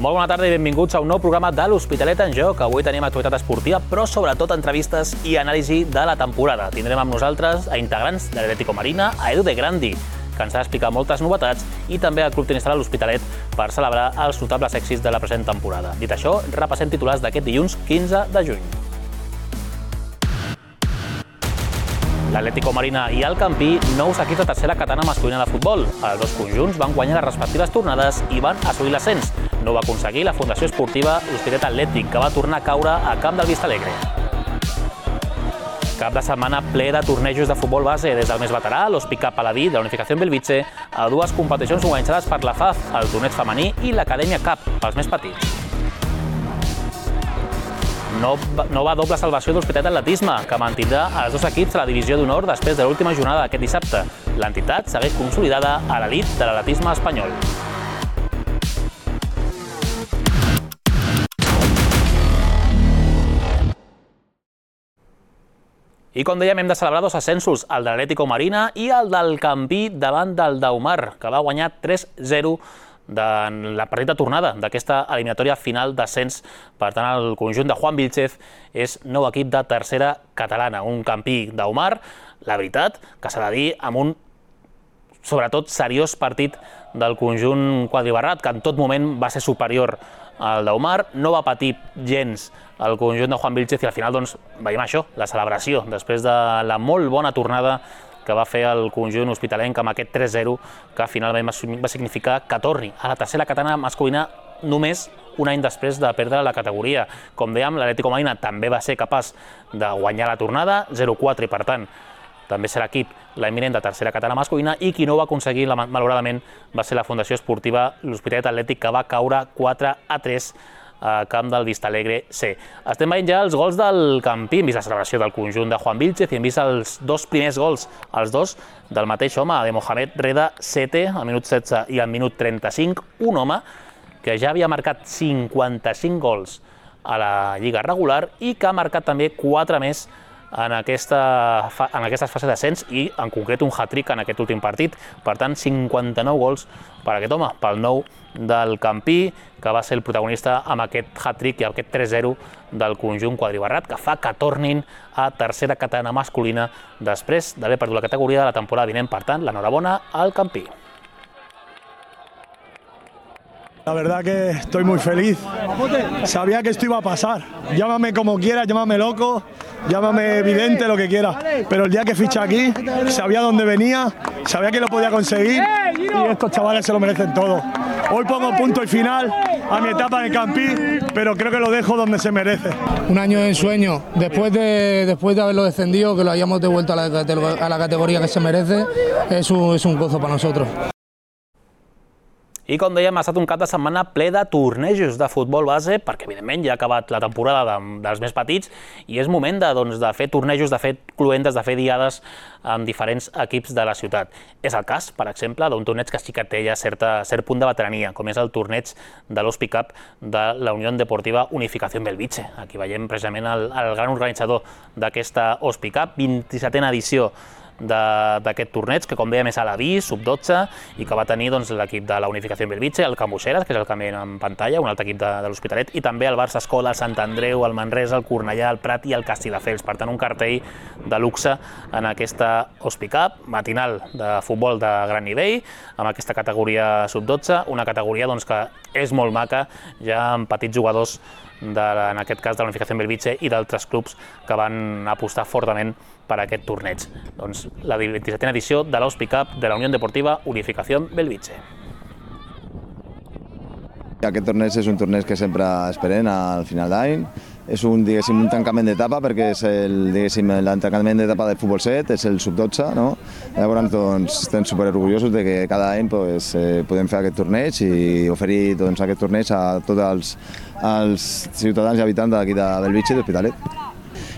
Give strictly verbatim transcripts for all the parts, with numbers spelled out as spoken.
Molt bona tarda i benvinguts a un nou programa de l'Hospitalet en Joc. Avui tenim actualitat esportiva, però sobretot entrevistes i anàlisi de la temporada. Tindrem amb nosaltres a integrants de l'Atlético Marina, a Edu de Grandi, que ens ha d'explicar moltes novetats, i també al Club Tenista de l'Hospitalet per celebrar els notables èxits de la present temporada. Dit això, repassem titulars d'aquest dilluns quinze de juny. L'Atlético Marina i el Campí, nous equips de tercera catalana masculina de futbol. Els dos conjunts van guanyar les respectives tornades i van assolir l'ascens. No ho va aconseguir la Fundació Esportiva L'Hospitalet Atlètic, que va tornar a caure a camp del Vistalegre. Cap de setmana ple de tornejos de futbol base, des del més veterà, l'Hospicat Paladí de la Unificació Belvitge, a dues competicions organitzades per la F A F, el torneig femení i l'Acadèmia Cup, pels més petits. No, no va doble salvació de l'Hospitalet Atletisme, que mantindrà els dos equips a la divisió d'honor després de l'última jornada d'aquest dissabte. L'entitat segueix consolidada a l'elit de l'atletisme espanyol. I com dèiem, hem de celebrar dos ascensos, el de l'Atlético Marina i el del Campí davant del Daumar, que va guanyar tres zero de la partida tornada d'aquesta eliminatòria final d'ascens. Per tant, el conjunt de Juan Vilchez és nou equip de tercera catalana, un Campí Daumar, la veritat, que s'ha de dir, amb un sobretot seriós partit del conjunt quadribarrat, que en tot moment va ser superior al Daumar, no va patir gens el conjunt de Juan Vilchez i al final doncs, veiem això, la celebració, després de la molt bona tornada que va fer el conjunt hospitalenc amb aquest tres zero, que finalment va significar que torni a la tercera catalana masculina només un any després de perdre la categoria. Com dèiem, l'Atlético Marina també va ser capaç de guanyar la tornada, zero quatre, i per tant, també serà equip l'eminent de tercera catalana masculina, i qui no ho va aconseguir, malauradament, va ser la Fundació Esportiva l'Hospitalet Atlètic, que va caure quatre a tres a camp del Vistalegre C. Estem veient ja els gols del Campí, hem vist la celebració del conjunt de Juan Vilchez i hem vist els dos primers gols, els dos del mateix home, de Mohamed Reda Sete, al minut setze i al minut trenta-cinc, un home que ja havia marcat cinquanta-cinc gols a la lliga regular i que ha marcat també quatre més en, aquesta, en aquestes fases d'ascens i en concret un hat-trick en aquest últim partit. Per tant, cinquanta-nou gols per aquest home, pel nou del Campí, que va ser el protagonista amb aquest hat-trick i aquest tres zero del conjunt quadribarrat, que fa que tornin a tercera catalana masculina després d'haver perdut la categoria de la temporada vinent. Per tant, l'enhorabona al Campí. La verdad que estoy muy feliz. Sabía que esto iba a pasar. Llámame como quieras, llámame loco, llámame evidente, lo que quieras. Pero el día que fiché aquí, sabía dónde venía, sabía que lo podía conseguir y estos chavales se lo merecen todo. Hoy pongo punto y final a mi etapa en el Campí, pero creo que lo dejo donde se merece. Un año de ensueño, después de, después de haberlo descendido, que lo hayamos devuelto a la, a la categoría que se merece, es un, es un gozo para nosotros. I com dèiem, ha estat un cap de setmana ple de tornejos de futbol base, perquè evidentment ja ha acabat la temporada de, dels més petits i és moment de, doncs, de fer tornejos, de fer cluentes, de fer diades amb diferents equips de la ciutat. És el cas, per exemple, d'un torneig que sí que té ja certa, cert punt de veterania, com és el torneig de l'Hospicat de la Unió Deportiva Unificació Belvitge. Aquí veiem precisament el, el gran organitzador d'aquesta Hospicat, vint-i-setena edició d'aquest torneig, que com dèiem és a la B, sub dotze, i que va tenir doncs, l'equip de la Unificació Belvitge, el Can Buixeras, que és el que veiem en pantalla, un altre equip de, de l'Hospitalet, i també el Barça Escola, el Sant Andreu, el Manresa, el Cornellà, el Prat i el Castelldefels. Per tant, un cartell de luxe en aquesta Hospicat matinal de futbol de gran nivell, amb aquesta categoria sub dotze, una categoria doncs, que és molt maca, ja amb petits jugadors, de, en aquest cas de la Unificació Belvitge i d'altres clubs que van apostar fortament per aquest torneig. Doncs la vint-i-setena edició de l'Hospicat de la Unió Deportiva Unificació Belvitge. Aquest torneig és un torneig que sempre esperem al final d'any. És un, diguéssim, un tancament d'etapa perquè és el, diguéssim, l'entancament d'etapa del futbol set, és el sub dotze, no? Llavors doncs, estem superorgullosos de que cada any pues, eh, podem fer aquest torneig i oferir doncs, aquest torneig a tots els, els ciutadans i habitants d'aquí de Belvitge i d'Hospitalet.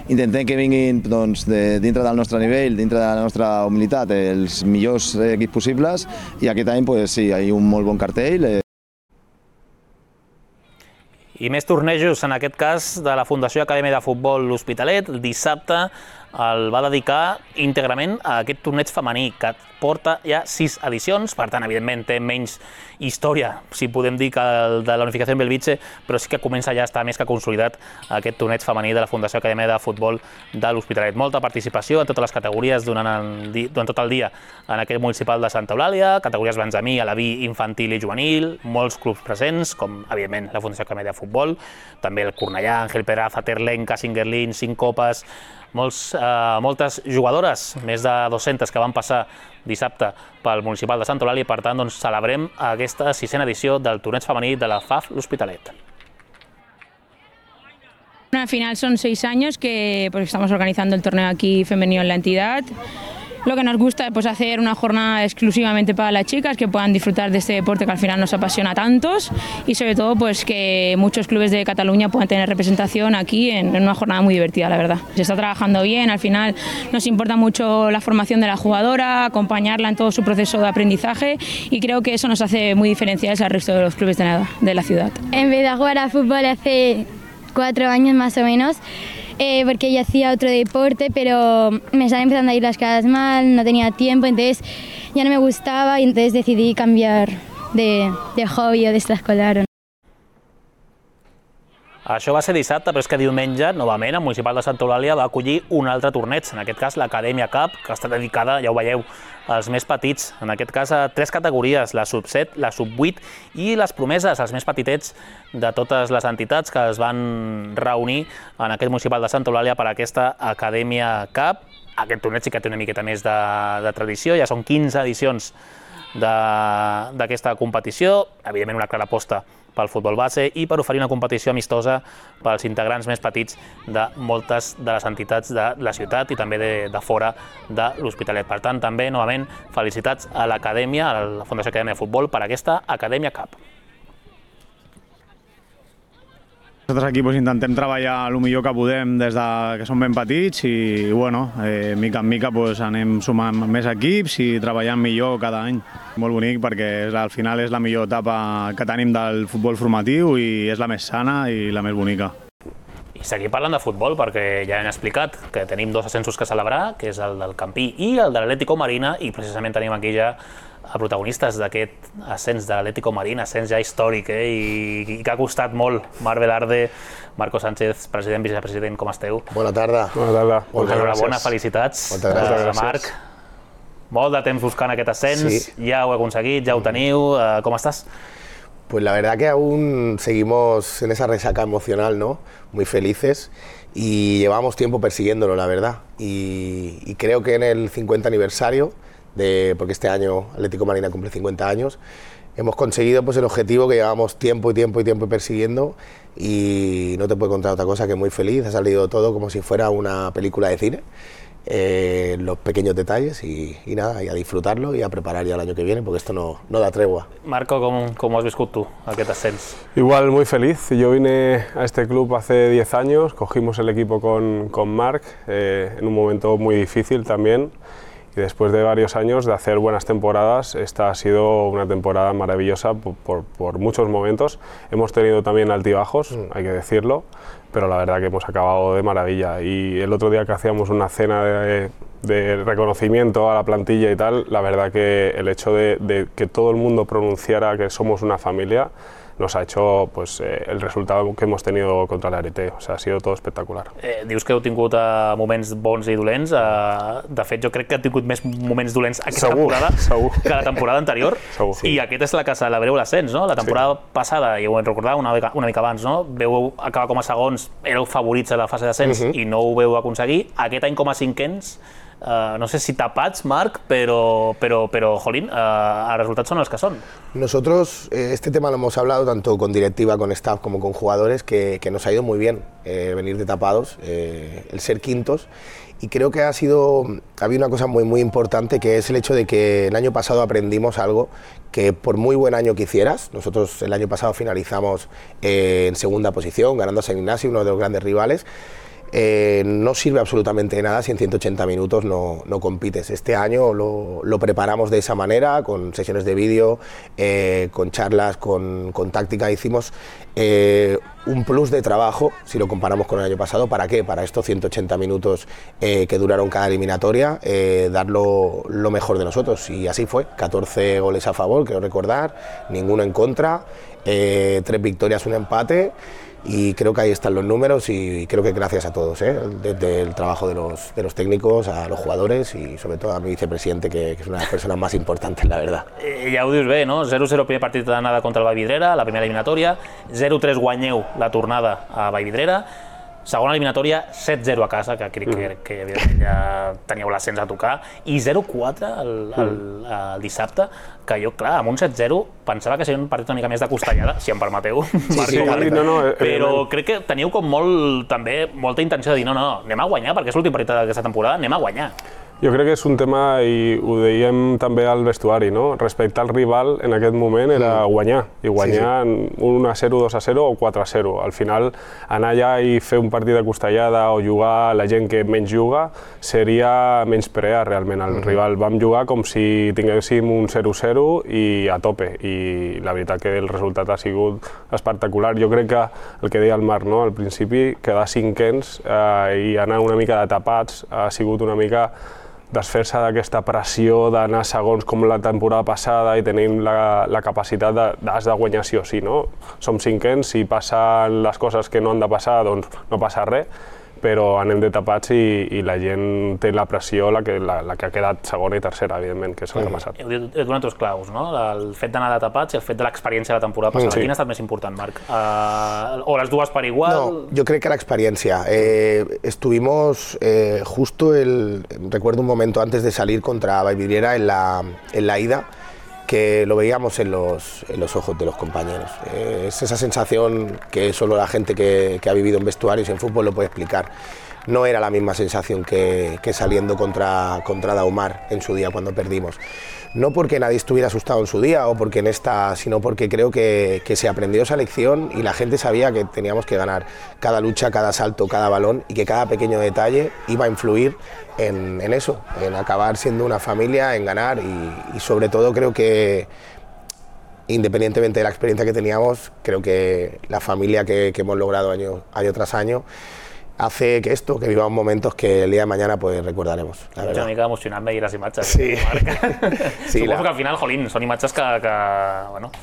Intentem que vinguin doncs, de, dintre del nostre nivell, dintre de la nostra humilitat, els millors equips possibles i aquest any pues, sí, hi ha un molt bon cartell. Eh. I més tornejos, en aquest cas, de la Fundació Acadèmia de Futbol L'Hospitalet. Dissabte el va dedicar íntegrament a aquest torneig femení, que porta ja sis edicions, per tant, evidentment, té menys història, si podem dir, que el de la Unificació en Belvitge, però sí que comença ja a estar més que consolidat aquest torneig femení de la Fundació Acadèmia de Futbol de l'Hospitalet. Molta participació en totes les categories durant, el, durant tot el dia en aquest municipal de Santa Eulàlia, categories Benzamí, Alaví, Infantil i Juvenil, molts clubs presents, com, evidentment, la Fundació Acadèmia de Futbol, també el Cornellà, Ángel Peraza, Terlenca, Singerlín, Cinc Copes, molts, eh, moltes jugadores, més de dues-centes que van passar dissabte pel municipal de Santa Eulàlia, i per tant doncs, celebrem aquesta sisena edició del torneig femení de la F A F L'Hospitalet. Al final son seis años que pues, estamos organizando el torneo aquí femenino en la entidad. Lo que nos gusta es pues, hacer una jornada exclusivamente para las chicas, que puedan disfrutar de este deporte que al final nos apasiona a tantos, y sobre todo pues, que muchos clubes de Cataluña puedan tener representación aquí en, en una jornada muy divertida, la verdad. Se está trabajando bien, al final nos importa mucho la formación de la jugadora, acompañarla en todo su proceso de aprendizaje, y creo que eso nos hace muy diferenciales al resto de los clubes de la, de la ciudad. Empecé a jugar a fútbol hace cuatro años más o menos, Eh, porque yo hacía otro deporte, pero me estaban empezando a ir las cosas mal, no tenía tiempo, entonces ya no me gustaba y entonces decidí cambiar de, de hobby o d'extraescolar. Això va ser dissabte, però és que diumenge, novament, el municipal de Santa Eulàlia va acollir un altre torneig, en aquest cas l'Acadèmia Cup, que està dedicada, ja ho veieu, als més petits, en aquest cas a tres categories, la sub set, la sub vuit i les promeses, els més petitets de totes les entitats que es van reunir en aquest municipal de Santa Eulàlia per a aquesta Acadèmia Cup. Aquest torneig sí que té una miqueta més de, de tradició, ja són quinze edicions d'aquesta competició, evidentment una clara aposta pel futbol base i per oferir una competició amistosa pels integrants més petits de moltes de les entitats de la ciutat i també de, de fora de l'Hospitalet. Per tant, també, novament, felicitats a l'Acadèmia, a la Fundació Acadèmia de Futbol, per aquesta Acadèmia Cup. Nosaltres aquí pues, intentem treballar el millor que podem des de que som ben petits i, bueno, eh, mica en mica pues, anem sumant més equips i treballant millor cada any. Molt bonic perquè al final és la millor etapa que tenim del futbol formatiu i és la més sana i la més bonica. I seguim parlant de futbol perquè ja hem explicat que tenim dos ascensos que celebrar, que és el del Campí i el de l'Atlético Marina, i precisament tenim aquí ja a protagonistes d'aquest ascens de l'Atlético Marina, ascens ja històric eh, i, i que ha costat molt. Marc Velarde, Marco Sánchez, president, vicepresident, com esteu? Bona tarda. Bona tarda. Enhorabona, felicitats. Moltes gràcies. Uh, Marc, molt de temps buscant aquest ascens, sí. Ja ho he aconseguit, ja ho teniu, uh, com estàs? Pues la verdad que aún seguimos en esa resaca emocional, ¿no? Muy felices y llevamos tiempo persiguiéndolo, la verdad. Y, y creo que en el cincuenta aniversario, de, porque este año Atlético Marina cumple cincuenta años, hemos conseguido pues, el objetivo que llevamos tiempo y tiempo y tiempo persiguiendo y no te puedo contar otra cosa que muy feliz, ha salido todo como si fuera una película de cine. Eh, los pequeños detalles y, y nada, y a disfrutarlo y a preparar ya el año que viene porque esto no, no da tregua. Marco, ¿cómo, cómo has viscut tú aquest ascens? Igual muy feliz, yo vine a este club hace diez años, cogimos el equipo con, con Marc eh, en un momento muy difícil también y después de varios años de hacer buenas temporadas, esta ha sido una temporada maravillosa por, por, por muchos momentos. Hemos tenido también altibajos, mm. hay que decirlo, pero la verdad que hemos acabado de maravilla. Y el otro día que hacíamos una cena de, de reconocimiento a la plantilla y tal, la verdad que el hecho de, de que todo el mundo pronunciara que somos una familia nos ha hecho pues, eh, el resultado que hemos tenido contra el Arete. O sea, ha sido todo espectacular. Eh, dius que heu tingut uh, moments bons i dolents. Uh, de fet, jo crec que heu tingut més moments dolents aquesta segur, temporada segur. que la temporada anterior. Segur. I aquest és la que celebreu l'ascens, no? La temporada sí. passada, i ho hem recordat una, una mica abans, no? Veu acabar com a segons, éreu favorits a la fase d'ascens uh -huh. i no ho veu aconseguir. Aquest any com a cinquens, Uh, no sé si tapats, Marc, pero, pero, pero jolín, uh, los resultados son los que son. Nosotros eh, este tema lo hemos hablado tanto con directiva, con staff como con jugadores, que, que nos ha ido muy bien eh, venir de tapados, eh, el ser quintos, y creo que ha sido, había una cosa muy, muy importante, que es el hecho de que el año pasado aprendimos algo que por muy buen año que hicieras, nosotros el año pasado finalizamos eh, en segunda posición, ganando a San Ignacio, uno de los grandes rivales. eh, no sirve absolutamente de nada si en ciento ochenta minutos no, no compites. Este año lo, lo preparamos de esa manera, con sesiones de vídeo, eh, con charlas, con, con táctica. Hicimos eh, un plus de trabajo, si lo comparamos con el año pasado. ¿Para qué? Para estos ciento ochenta minutos eh, que duraron cada eliminatoria, eh, dar lo, lo mejor de nosotros. Y así fue, catorce goles a favor, quiero recordar, ninguno en contra, eh, tres victorias, un empate. Y creo que ahí están los números y creo que gracias a todos, ¿eh? Desde el trabajo de los, de los técnicos, a los jugadores y sobre todo a mi vicepresidente, que, que es una de las personas más importantes, la verdad. Eh, ja ho dius bé, no? zero zero primer partit d'anada contra el Vallvidrera, la primera eliminatòria, zero tres guanyeu la tornada a Vallvidrera, segona eliminatòria, set zero a casa, que crec que, que evidentment ja teníeu l'ascens a tocar, i zero quatre el, el, el dissabte, que jo, clar, amb un set zero pensava que seria un partit una mica més de costellada, si em permeteu, sí, sí, no, no, però crec que teníeu com molt, també, molta intenció de dir no, no, anem a guanyar, perquè és l'últim partit d'aquesta temporada, anem a guanyar. Jo crec que és un tema, i ho dèiem també al vestuari, no? Respecte al rival en aquest moment era guanyar, i guanyar sí, sí. un a zero, dos a zero o quatre a zero. Al final, anar allà i fer un partit de costellada o jugar a la gent que menys juga seria menysprear realment el mm-hmm. rival. Vam jugar com si tinguéssim un zero zero i a tope, i la veritat que el resultat ha sigut espectacular. Jo crec que el que deia el Marc, no? Al principi, quedar cinquens eh, i anar una mica de tapats ha sigut una mica desfer-se d'aquesta pressió d'anar segons com la temporada passada i tenim la, la capacitat de, d'has de guanyar sí o sí, no? Som cinquens, si passen les coses que no han de passar, doncs no passa res, però anem de tapats i, i la gent té la pressió, la que, la, la que ha quedat segona i tercera, evidentment, que és el que ha passat. Heu donat dos claus, no? El fet d'anar de tapats i el fet de l'experiència de la temporada passada. Sí. Quin ha estat més important, Marc? Uh, ¿O las dues per igual? No, yo creo que la experiencia. Eh, estuvimos eh, justo, el, recuerdo un momento antes de salir contra Vallvidrera en la, en la ida, que lo veíamos en los, en los ojos de los compañeros. Eh, es esa sensación que solo la gente que, que ha vivido en vestuarios y en fútbol lo puede explicar. No era la misma sensación que, que saliendo contra, contra Daumar en su día cuando perdimos. No porque nadie estuviera asustado en su día o porque en esta, sino porque creo que, que se aprendió esa lección y la gente sabía que teníamos que ganar cada lucha, cada salto, cada balón y que cada pequeño detalle iba a influir en, en eso, en acabar siendo una familia, en ganar y, y sobre todo creo que independientemente de la experiencia que teníamos, creo que la familia que, que hemos logrado año, año tras año hace que esto, que vivamos momentos que el día de mañana pues recordaremos, la verdad. Una mica emocionant veure les imatges. Sí. Sí, suposo la... que al final, jolín, són imatges que, que, bueno,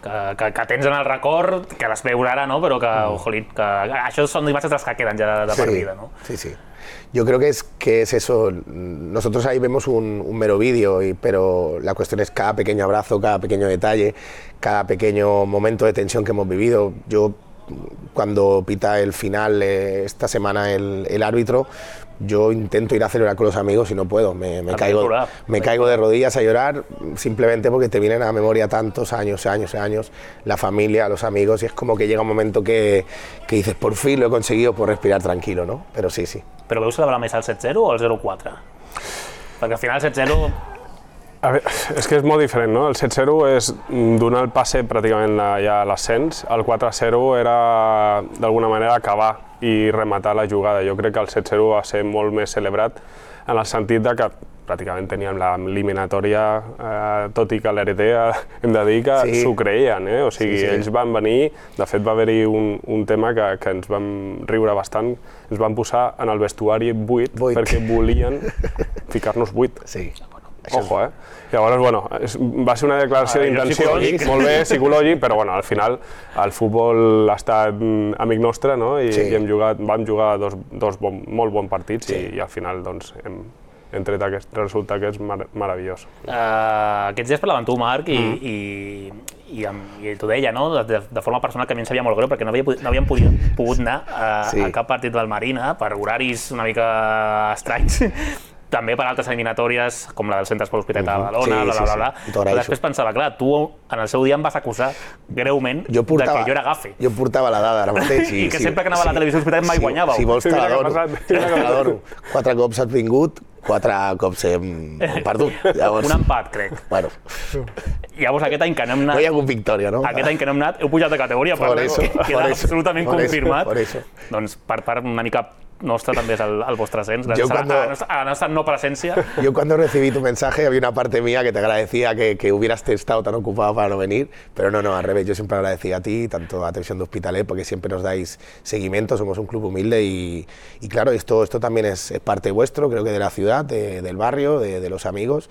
que, que, que tens en el record, que les veus ara, no? Però que, mm. jolín, que això són imatges de les que queden ja de, de sí, per vida, no? Sí, sí. Yo creo que es, que es eso, nosotros ahí vemos un, un mero vídeo, y, pero la cuestión es cada pequeño abrazo, cada pequeño detalle, cada pequeño momento de tensión que hemos vivido. Yo cuando pita el final eh, esta semana el, el árbitro, yo intento ir a celebrar con los amigos y no puedo, me, me, caigo, me caigo de rodillas a llorar simplemente porque te vienen a la memoria tantos años, años, años, la familia, los amigos, y es como que llega un momento que, que dices, por fin lo he conseguido, por respirar tranquilo, ¿no? Pero sí, sí. Però veu celebrar més el set zero o el zero quatre? Perquè al final el set zero... A veure, és que és molt diferent, no? El set zero és donar el passe pràcticament ja a l'ascens, el quatre zero era d'alguna manera acabar i rematar la jugada. Jo crec que el set zero va ser molt més celebrat en el sentit de que pràcticament teníem l'eliminatòria, eh, tot i que l'R T hem de dir que s'ho sí. creien, eh? O sigui, sí, sí. ells van venir, de fet va haver-hi un, un tema que, que ens vam riure bastant, ens van posar en el vestuari buit, buit. perquè volien ficar-nos buit. Sí. Ojo, eh? Llavors, bueno, va ser una declaració d'intenció, molt bé, psicològic, però bueno, al final el futbol ha estat amic nostre, no? I, sí. i hem jugat, vam jugar dos, dos bon, molt bons partits sí. i, i al final doncs, hem, hem tret aquest resultat que és mar meravellós. Uh, aquests dies parlaven tu, Marc, i, mm. i, i, i t'ho deia, no? de, de forma personal, que a mi em sabia molt greu perquè no, havia, no havíem pogut, pogut anar a, sí. a cap partit del Marina per horaris una mica estranys. També per altres eliminatòries, com la del Centre Esport Hospitalet de Badalona, sí, bla, bla, bla, sí, bla. Després pensava, clar, tu en el seu dia em vas acusar greument jo portava, de que jo era gafe. Jo portava la dada ara mateix. I, I que sí, sempre que anava sí, a la televisió Hospitalet mai sí, guanyàveu. Si vols te l'adoro. Quatre cops has vingut, quatre cops hem perdut. Llavors... Un empat, crec. Bueno. Llavors aquest any que no hem anat... No hi ha hagut victòria, no? Aquest any que no hem anat, heu pujat de categoria, per eso, queda eso, absolutament por confirmat. Eso, por eso. Doncs per part una mica nostre també és el, el vostre ascens, gràcies cuando, a, la nostra, a la nostra no presencia. Yo cuando recibí tu mensaje había una parte mía que te agradecía que, que hubieras estado tan ocupado para no venir, pero no, no, al revés, yo siempre agradecía a ti, tanto a Televisión de Hospitalet, porque siempre nos dais seguimiento, somos un club humilde y, y claro, esto, esto también es, es parte vuestro, creo que de la ciudad, de, del barrio, de, de los amigos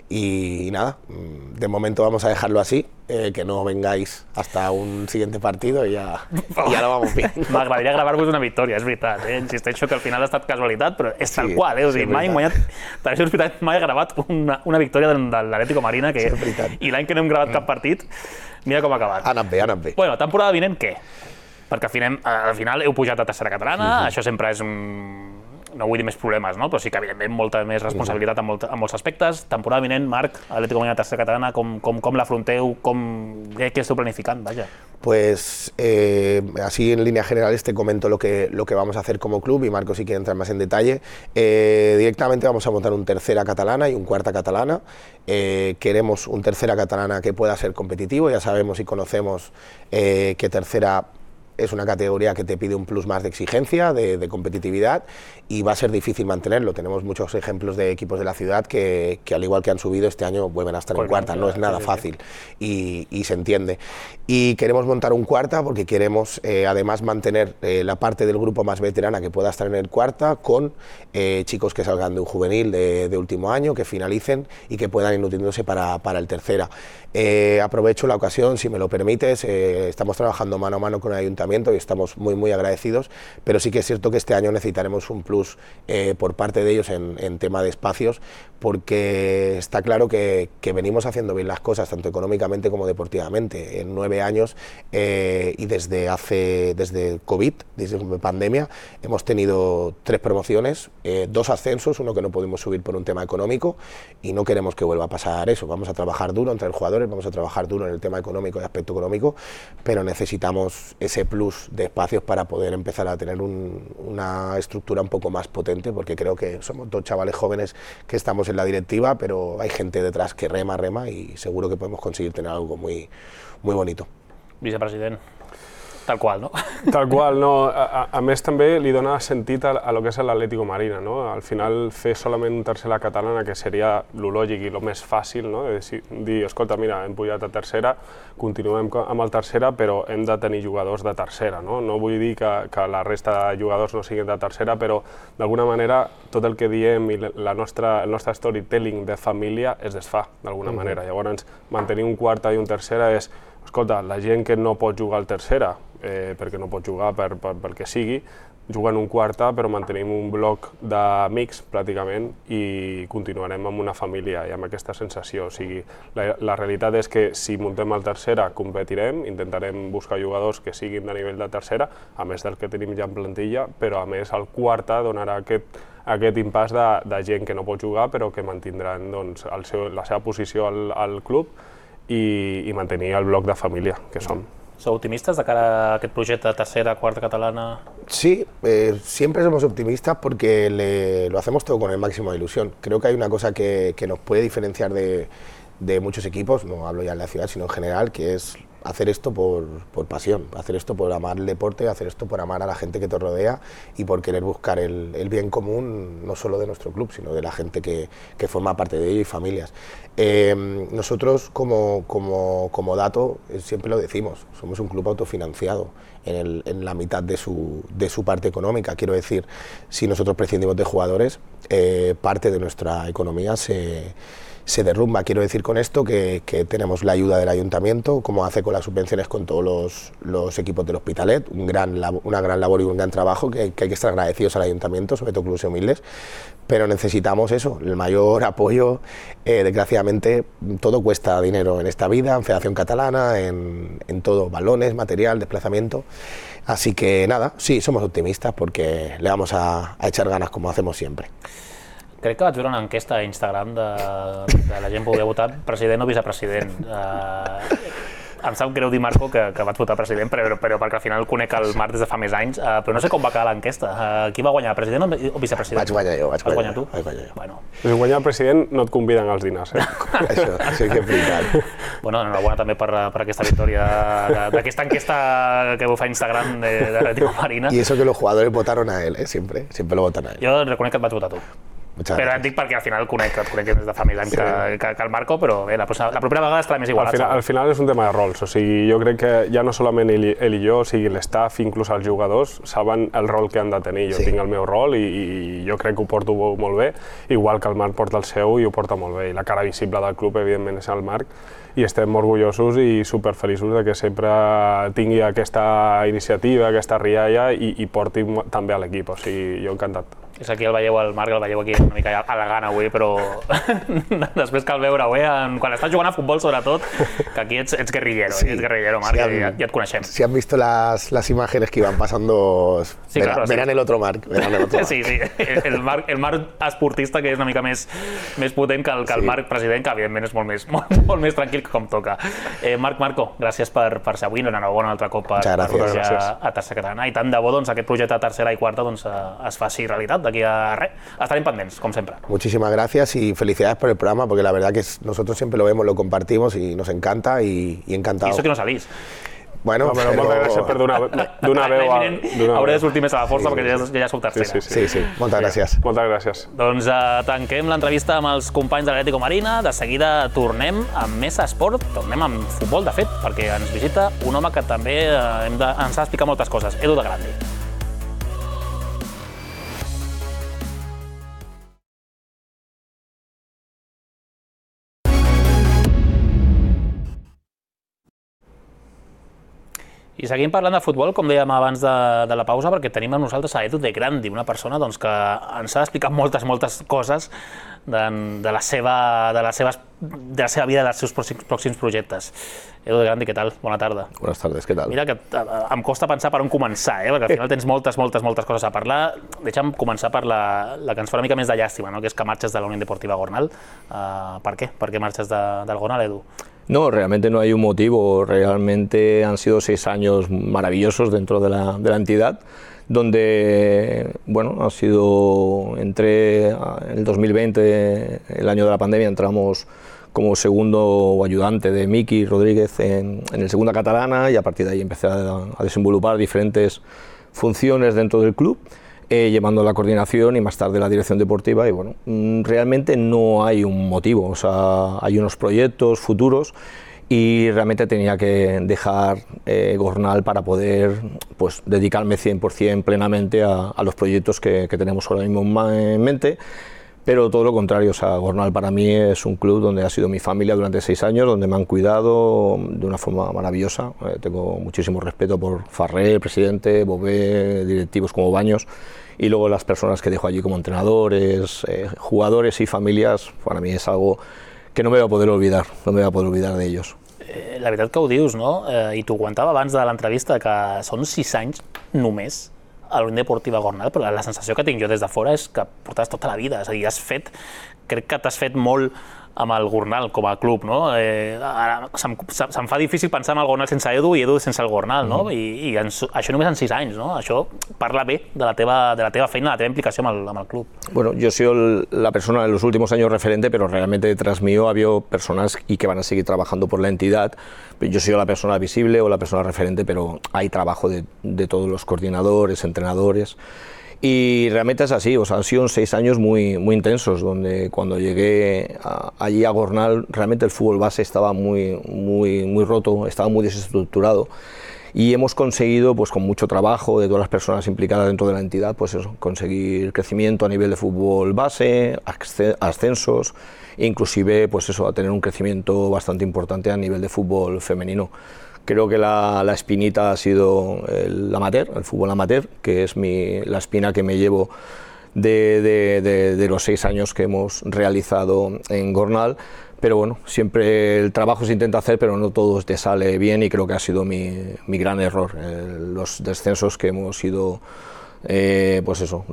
y, y nada, de momento vamos a dejarlo así, eh, que no vengáis hasta un siguiente partido y ya, y ya lo vamos bien. M'agradaria gravar-vos una victòria, és veritat, eh? Insisteixo que al final ha estat casualitat, però és tal Sí, qual, eh? O sigui, sí, mai, guanyat, Televisió Hospitalet mai ha gravat una, una victòria de, de l'Atlético Marina, que, Sí, i l'any que no hem gravat cap partit, mira com ha acabat. Ha anat bé, ha anat bé. Bueno, temporada vinent, què? Perquè al final, al final heu pujat a tercera catalana, uh-huh. això sempre és un... no vull dir més problemes, no? Però sí que evidentment molta més responsabilitat en, molt, en molts aspectes. Temporada vinent, Marc, Atlético Marina tercera catalana, com, com, com l'afronteu, com, què, què esteu planificant, vaja? Pues eh, así en líneas generales te comento lo que, lo que vamos a hacer como club y Marco si quiere entrar más en detalle. Eh, directamente vamos a montar un tercera catalana y un cuarta catalana. Eh, queremos un tercera catalana que pueda ser competitivo, ya sabemos y conocemos eh, que tercera es una categoría que te pide un plus más de exigencia, de, de competitividad y va a ser difícil mantenerlo. Tenemos muchos ejemplos de equipos de la ciudad que, que al igual que han subido este año vuelven a estar en cuarta, no es nada fácil y, y se entiende. Y queremos montar un cuarta porque queremos eh, además mantener eh, la parte del grupo más veterana que pueda estar en el cuarta con eh, chicos que salgan de un juvenil de, de último año, que finalicen y que puedan ir nutriéndose para, para el tercera. Eh, aprovecho la ocasión, si me lo permites, eh, estamos trabajando mano a mano con el ayuntamiento y estamos muy muy agradecidos, pero sí que es cierto que este año necesitaremos un plus eh, por parte de ellos en, en tema de espacios, porque está claro que, que venimos haciendo bien las cosas, tanto económicamente como deportivamente. En nueve años eh, y desde hace desde COVID, desde pandemia, hemos tenido tres promociones, eh, dos ascensos, uno que no pudimos subir por un tema económico y no queremos que vuelva a pasar eso. Vamos a trabajar duro entre los jugadores, vamos a trabajar duro en el tema económico y aspecto económico, pero necesitamos ese plus de espacios para poder empezar a tener un, una estructura un poco más potente, porque creo que somos dos chavales jóvenes que estamos en la directiva, pero hay gente detrás que rema, rema y seguro que podemos conseguir tener algo muy, muy bonito. Vicepresident, tal qual, no? Tal qual, no. A, a més, també li dona sentit a, a lo que és l'Atlético Marina, no? Al final, fer solament un tercera catalana, que seria lo lògic i lo més fàcil, no? De dir, escolta, mira, hem pujat a tercera, continuem amb el tercera, però hem de tenir jugadors de tercera, no? No vull dir que, que la resta de jugadors no siguin de tercera, però d'alguna manera tot el que diem i la nostra, el nostre storytelling de família es desfà, d'alguna mm-hmm. manera. Llavors, mantenir un quarta i un tercera és, escolta, la gent que no pot jugar al tercera, eh, perquè no pot jugar per, per, pel que sigui, juga en un quarta, però mantenim un bloc d'amics, pràcticament, i continuarem amb una família i amb aquesta sensació. O sigui, la, la realitat és que si muntem el tercera, competirem, intentarem buscar jugadors que siguin de nivell de tercera, a més del que tenim ja en plantilla, però a més el quarta donarà aquest, aquest impàs de, de gent que no pot jugar, però que mantindran doncs, el seu, la seva posició al, al club i, i mantenir el bloc de família que som. ¿Sou optimistas de cara a aquest projecte de tercera, cuarta catalana? Sí, eh, siempre somos optimistas porque le, lo hacemos todo con el máximo de ilusión. Creo que hay una cosa que, que nos puede diferenciar de, de muchos equipos, no hablo ya en la ciudad, sino en general, que es hacer esto por, por pasión, hacer esto por amar el deporte, hacer esto por amar a la gente que te rodea y por querer buscar el, el bien común, no solo de nuestro club, sino de la gente que, que forma parte de ello y familias. Eh, nosotros, como, como, como dato, siempre lo decimos, somos un club autofinanciado en, el, en la mitad de su, de su parte económica. Quiero decir, si nosotros prescindimos de jugadores, eh, parte de nuestra economía se... se derrumba. Quiero decir con esto que, que tenemos la ayuda del ayuntamiento, como hace con las subvenciones con todos los, los equipos del Hospitalet, un gran, una gran labor y un gran trabajo que, que hay que estar agradecidos al ayuntamiento, sobre todo clubes humildes, pero necesitamos eso, el mayor apoyo. Eh, desgraciadamente todo cuesta dinero en esta vida, en Federación Catalana, en, en todo, balones, material, desplazamiento. Así que nada, sí, somos optimistas porque le vamos a, a echar ganas como hacemos siempre. Crec que vaig veure una enquesta a Instagram de, de la gent que volia votar president o vicepresident. Uh, em sap greu dir, Marco, que, que vaig votar president, però, però perquè al final conec el Marc des de fa més anys, uh, però no sé com va quedar l'enquesta. Uh, qui va guanyar, president o vicepresident? Vaig guanyar jo, vaig guanyar, guanyar tu? Vaig guanyar jo. Bueno. Si guanyar el president no et conviden als dinars, eh? Això, això que és veritat. Bueno, enhorabona també per, per aquesta victòria d'aquesta enquesta que fa Instagram de, de l'Atlético Marina. Y eso que los jugadores votaron a él, ¿eh? Siempre, siempre lo votan a él. Jo reconec que et vaig votar tu. Muchas però gracias. et dic perquè al final conec, et conec des de fa més anys sí. que, que, que el Marco, però bé, la, la propera vegada estarà més igualat. Al final, al final és un tema de rols, o sigui, jo crec que ja no solament ell, ell i jo, o sigui, l'estaff, inclús els jugadors, saben el rol que han de tenir. Jo sí. tinc el meu rol i, i jo crec que ho porto molt bé, igual que el Marc porta el seu i ho porta molt bé. I la cara visible del club, evidentment, és el Marc, i estem orgullosos i superfeliços de que sempre tingui aquesta iniciativa, aquesta rialla i, i porti també a l'equip, o sigui, jo encantat. És aquí el veieu, el Marc el veieu aquí una mica elegant avui, però després cal veure avui, quan estàs jugant a futbol sobretot, que aquí ets, ets guerrillero, sí. ets guerrillero, Marc, si han, ja, ja et coneixem. Si han visto las, las imágenes que iban pasando, sí, verán, claro, verán sí. el otro Marc, verán el otro Marc. Sí, sí, el Marc, el Marc esportista que és una mica més, més potent que el, que el sí. Marc president, que evidentment és molt més, molt, molt més tranquil com toca. Eh, Marc, Marco, gràcies per, per ser avui, enhorabona un altre cop per, per pujar a Tercera Catalana, i tant de bo doncs, aquest projecte de tercera i quarta doncs, es faci realitat. D'aquí a res, estarem pendents, com siempre. Muchísimas gracias y felicidades por el programa, porque la verdad que es, nosotros siempre lo vemos, lo compartimos y nos encanta y, y encantado. Y eso que no salís. Bueno, no, però, però... moltes gràcies per donar, donar veu a... Hauré de sortir més a la força sí, perquè ja, ja sou tercera. Sí, sí, sí. sí, sí. Moltes gràcies. Moltes gràcies. Doncs uh, tanquem l'entrevista amb els companys de l'Atlético Marina. De seguida tornem amb més esport, tornem amb futbol, de fet, perquè ens visita un home que també uh, hem de, ens ha d'explicar moltes coses, Edu de Grandi. I seguim parlant de futbol, com dèiem abans de, de la pausa, perquè tenim amb nosaltres a Edu de Grandi, una persona doncs, que ens ha d'explicar moltes, moltes coses de, de, la seva, de, la seva, de la seva vida i dels seus pròxims, pròxims projectes. Edu de Grandi, què tal? Bona tarda. Buenas tardes, què tal? Mira que em costa pensar per on començar, eh? perquè al final tens moltes, moltes, moltes coses a parlar. Deixa'm començar per la, la que ens fa una mica més de llàstima, no? que és que marxes de la Unión Deportiva Gornal. Uh, per què? Per què marxes de, del Gornal, Edu? No, realmente no hay un motivo, realmente han sido seis años maravillosos dentro de la, de la entidad, donde, bueno, ha sido, entré en el dos mil veinte, el año de la pandemia, entramos como segundo ayudante de Miki Rodríguez en, en el Segunda Catalana y a partir de ahí empecé a, a desenvolupar diferentes funciones dentro del club. Eh, llevando la coordinación y más tarde la dirección deportiva y bueno, realmente no hay un motivo, o sea, hay unos proyectos futuros y realmente tenía que dejar eh, Gornal para poder pues, dedicarme cien por cien plenamente a, a los proyectos que, que tenemos ahora mismo en mente. Pero todo lo contrario, o sea, Gornal para mí es un club donde ha sido mi familia durante seis años, donde me han cuidado de una forma maravillosa. Eh, tengo muchísimo respeto por Farré, el presidente, Bové, directivos como Baños, y luego las personas que dejo allí como entrenadores, eh, jugadores y familias, para mí es algo que no me voy a poder olvidar, no me voy a poder olvidar de ellos. Eh, la veritat que ho dius, no? Eh, I t'ho comentava abans de l'entrevista, que són sis anys només a la Unión Deportiva Gornal, però la sensació que tinc jo des de fora és que portaves tota la vida, és a dir, has fet, crec que t'has fet molt amb el Gornal com a club, no? Eh, ara se'm, se'm fa difícil pensar en el Gornal sense Edu i Edu sense el Gornal, no? I, i en, això només en sis anys, no? Això parla bé de la teva, de la teva feina, de la teva implicació amb el, amb el club. Bueno, yo he sido la persona en los últimos años referente, pero realmente detrás mío ha habido personas y que van a seguir trabajando por la entidad. Yo he sido la persona visible o la persona referente, pero hay trabajo de, de todos los coordinadores, entrenadores. Y realmente es así, o sea, han sido seis años muy, muy intensos, donde cuando llegué a, allí a Gornal, realmente el fútbol base estaba muy, muy, muy roto, estaba muy desestructurado. Y hemos conseguido, pues con mucho trabajo de todas las personas implicadas dentro de la entidad, pues eso, conseguir crecimiento a nivel de fútbol base, ascensos, e inclusive, pues eso, a tener un crecimiento bastante importante a nivel de fútbol femenino. Creo que la, la espinita ha sido el amateur, el fútbol amateur, que es mi, la espina que me llevo de, de, de, de los seis años que hemos realizado en Gornal. Pero bueno, siempre el trabajo se intenta hacer, pero no todo te sale bien y creo que ha sido mi, mi gran error. Eh, los descensos que hemos ido, eh, pues eso,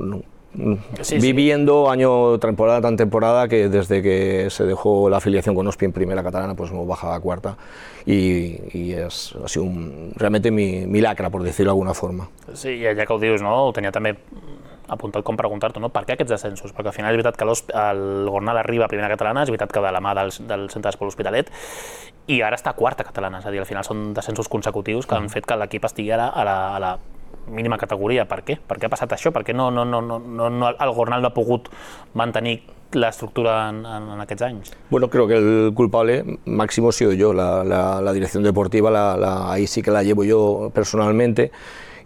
sí, viviendo sí. año, temporada tras temporada, que desde que se dejó la afiliación con Ospi en primera catalana, pues hemos bajado a cuarta y, y és, ha sido un, realmente mi, mi lacra, por decirlo de alguna forma. Sí, ja que ho dius, no? Ho tenia també apuntat com preguntar-te, no? Per què aquests descensos? Perquè al final és veritat que el Gornal arriba a primera catalana, és veritat que de la mà del, del Centre d'Esport L'Hospitalet, i ara està a quarta catalana, és a dir, al final són descensos consecutius que han fet que l'equip estigui ara a la, a la mínima categoria. Per què? Per què ha passat això? Per què no, no, no, no, no, el Gornal no ha pogut mantenir l'estructura en, en, en aquests anys? Bueno, creo que el culpable máximo he sido yo, la, la, la dirección deportiva, la, la, ahí sí que la llevo yo personalmente.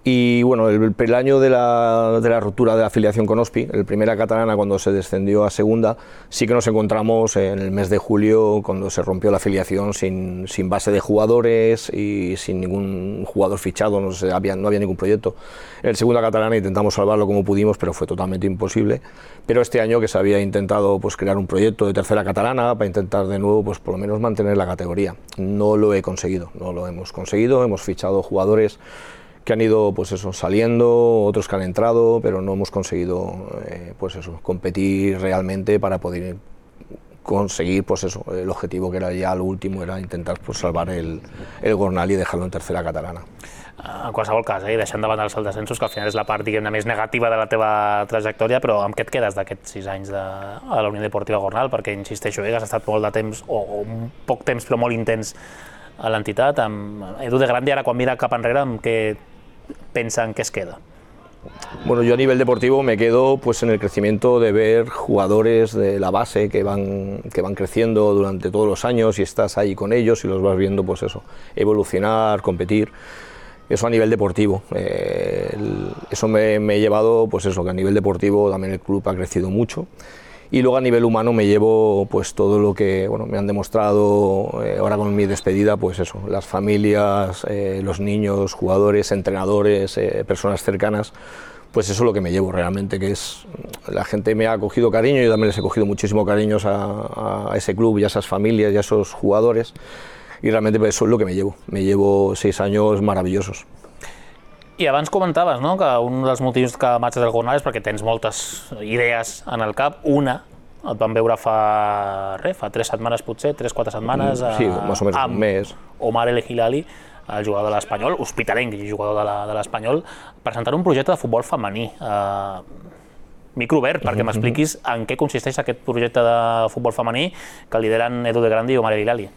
Y bueno, el, el año de la, de la ruptura de la afiliación con Ospi, el primera catalana cuando se descendió a segunda, sí que nos encontramos en el mes de julio cuando se rompió la afiliación sin, sin base de jugadores y sin ningún jugador fichado, no, se, había, no había ningún proyecto. En el segunda catalana intentamos salvarlo como pudimos, pero fue totalmente imposible. Pero este año que se había intentado pues, crear un proyecto de tercera catalana para intentar de nuevo pues, por lo menos mantener la categoría. No lo he conseguido, no lo hemos conseguido, hemos fichado jugadores que han ido pues eso, saliendo, otros que han entrado, pero no hemos conseguido eh, pues eso, competir realmente para poder conseguir pues eso, el objetivo que era ya lo último, era intentar pues, salvar el, el Gornal y dejarlo en tercera catalana. En qualsevol cas, eh, deixant de banda els descensos, que al final és la part diguem-ne més negativa de la teva trajectòria, però amb què et quedes d'aquests sis anys de, a la Unió Deportiva Gornal? Perquè, insisteixo, eh, has estat molt de temps, o, o poc temps, però molt intens a l'entitat. Amb Edu de Grandi, ara quan mira cap enrere, amb què pensa en qué se queda? Bueno, yo a nivel deportivo me quedo pues en el crecimiento de ver jugadores de la base que van, que van creciendo durante todos los años y estás ahí con ellos y los vas viendo pues eso, evolucionar, competir. Eso a nivel deportivo. Eh, el, eso me, me he llevado pues eso, que a nivel deportivo también el club ha crecido mucho. Y luego a nivel humano me llevo pues todo lo que bueno, me han demostrado eh, ahora con mi despedida, pues eso, las familias, eh, los niños, jugadores, entrenadores, eh, personas cercanas, pues eso es lo que me llevo realmente, que es, la gente me ha cogido cariño, yo también les he cogido muchísimo cariño a, a ese club y a esas familias y a esos jugadores, y realmente pues, eso es lo que me llevo, me llevo seis años maravillosos. I abans comentaves, no?, que un dels motius que marxes del Gornal és perquè tens moltes idees en el cap. Una, et vam veure fa, res, fa tres setmanes potser, tres, quatre setmanes, sí, més o menys un mes. Omar El Hilali, el jugador de l'Espanyol, hospitalenc i jugador de l'Espanyol, presentant un projecte de futbol femení. Uh, micro obert, perquè m'expliquis en què consisteix aquest projecte de futbol femení que lideren Edu de Grandi i Omar El Hilali.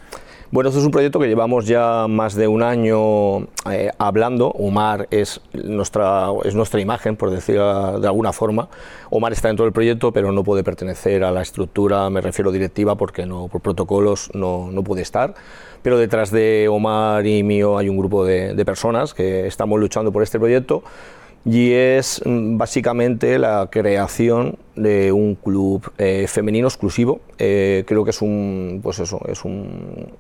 Bueno, esto es un proyecto que llevamos ya más de un año eh, hablando. Omar es nuestra, es nuestra imagen, por decirlo de alguna forma. Omar está dentro del proyecto, pero no puede pertenecer a la estructura, me refiero directiva, porque no, por protocolos no, no puede estar. Pero detrás de Omar y mío hay un grupo de, de personas que estamos luchando por este proyecto. Y es básicamente la creación de un club eh, femenino exclusivo. Eh, creo que es un, pues eso, es un,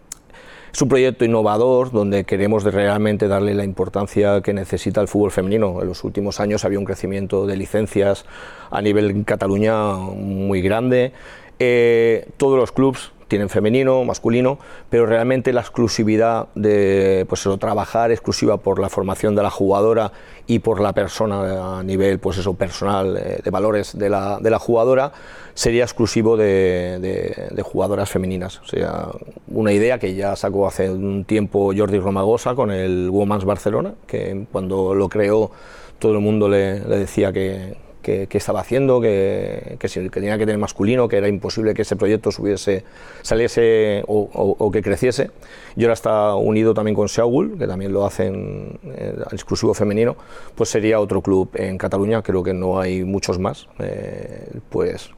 es un proyecto innovador donde queremos de realmente darle la importancia que necesita el fútbol femenino. En los últimos años había un crecimiento de licencias a nivel en Cataluña muy grande. Eh, todos los clubes tienen femenino, masculino, pero realmente la exclusividad de pues eso, trabajar exclusiva por la formación de la jugadora y por la persona a nivel pues eso, personal, eh, de valores de la, de la jugadora, sería exclusivo de, de, de jugadoras femeninas. O sea, una idea que ya sacó hace un tiempo Jordi Romagosa con el Women's Barcelona, que cuando lo creó todo el mundo le, le decía que que, que estaba haciendo, que, que, que tenía que tener masculino, que era imposible que ese proyecto subiese, saliese o, o, o que creciese. Y ahora está unido también con Seagull, que también lo hacen eh, exclusivo femenino, pues sería otro club en Cataluña, creo que no hay muchos más, eh, pues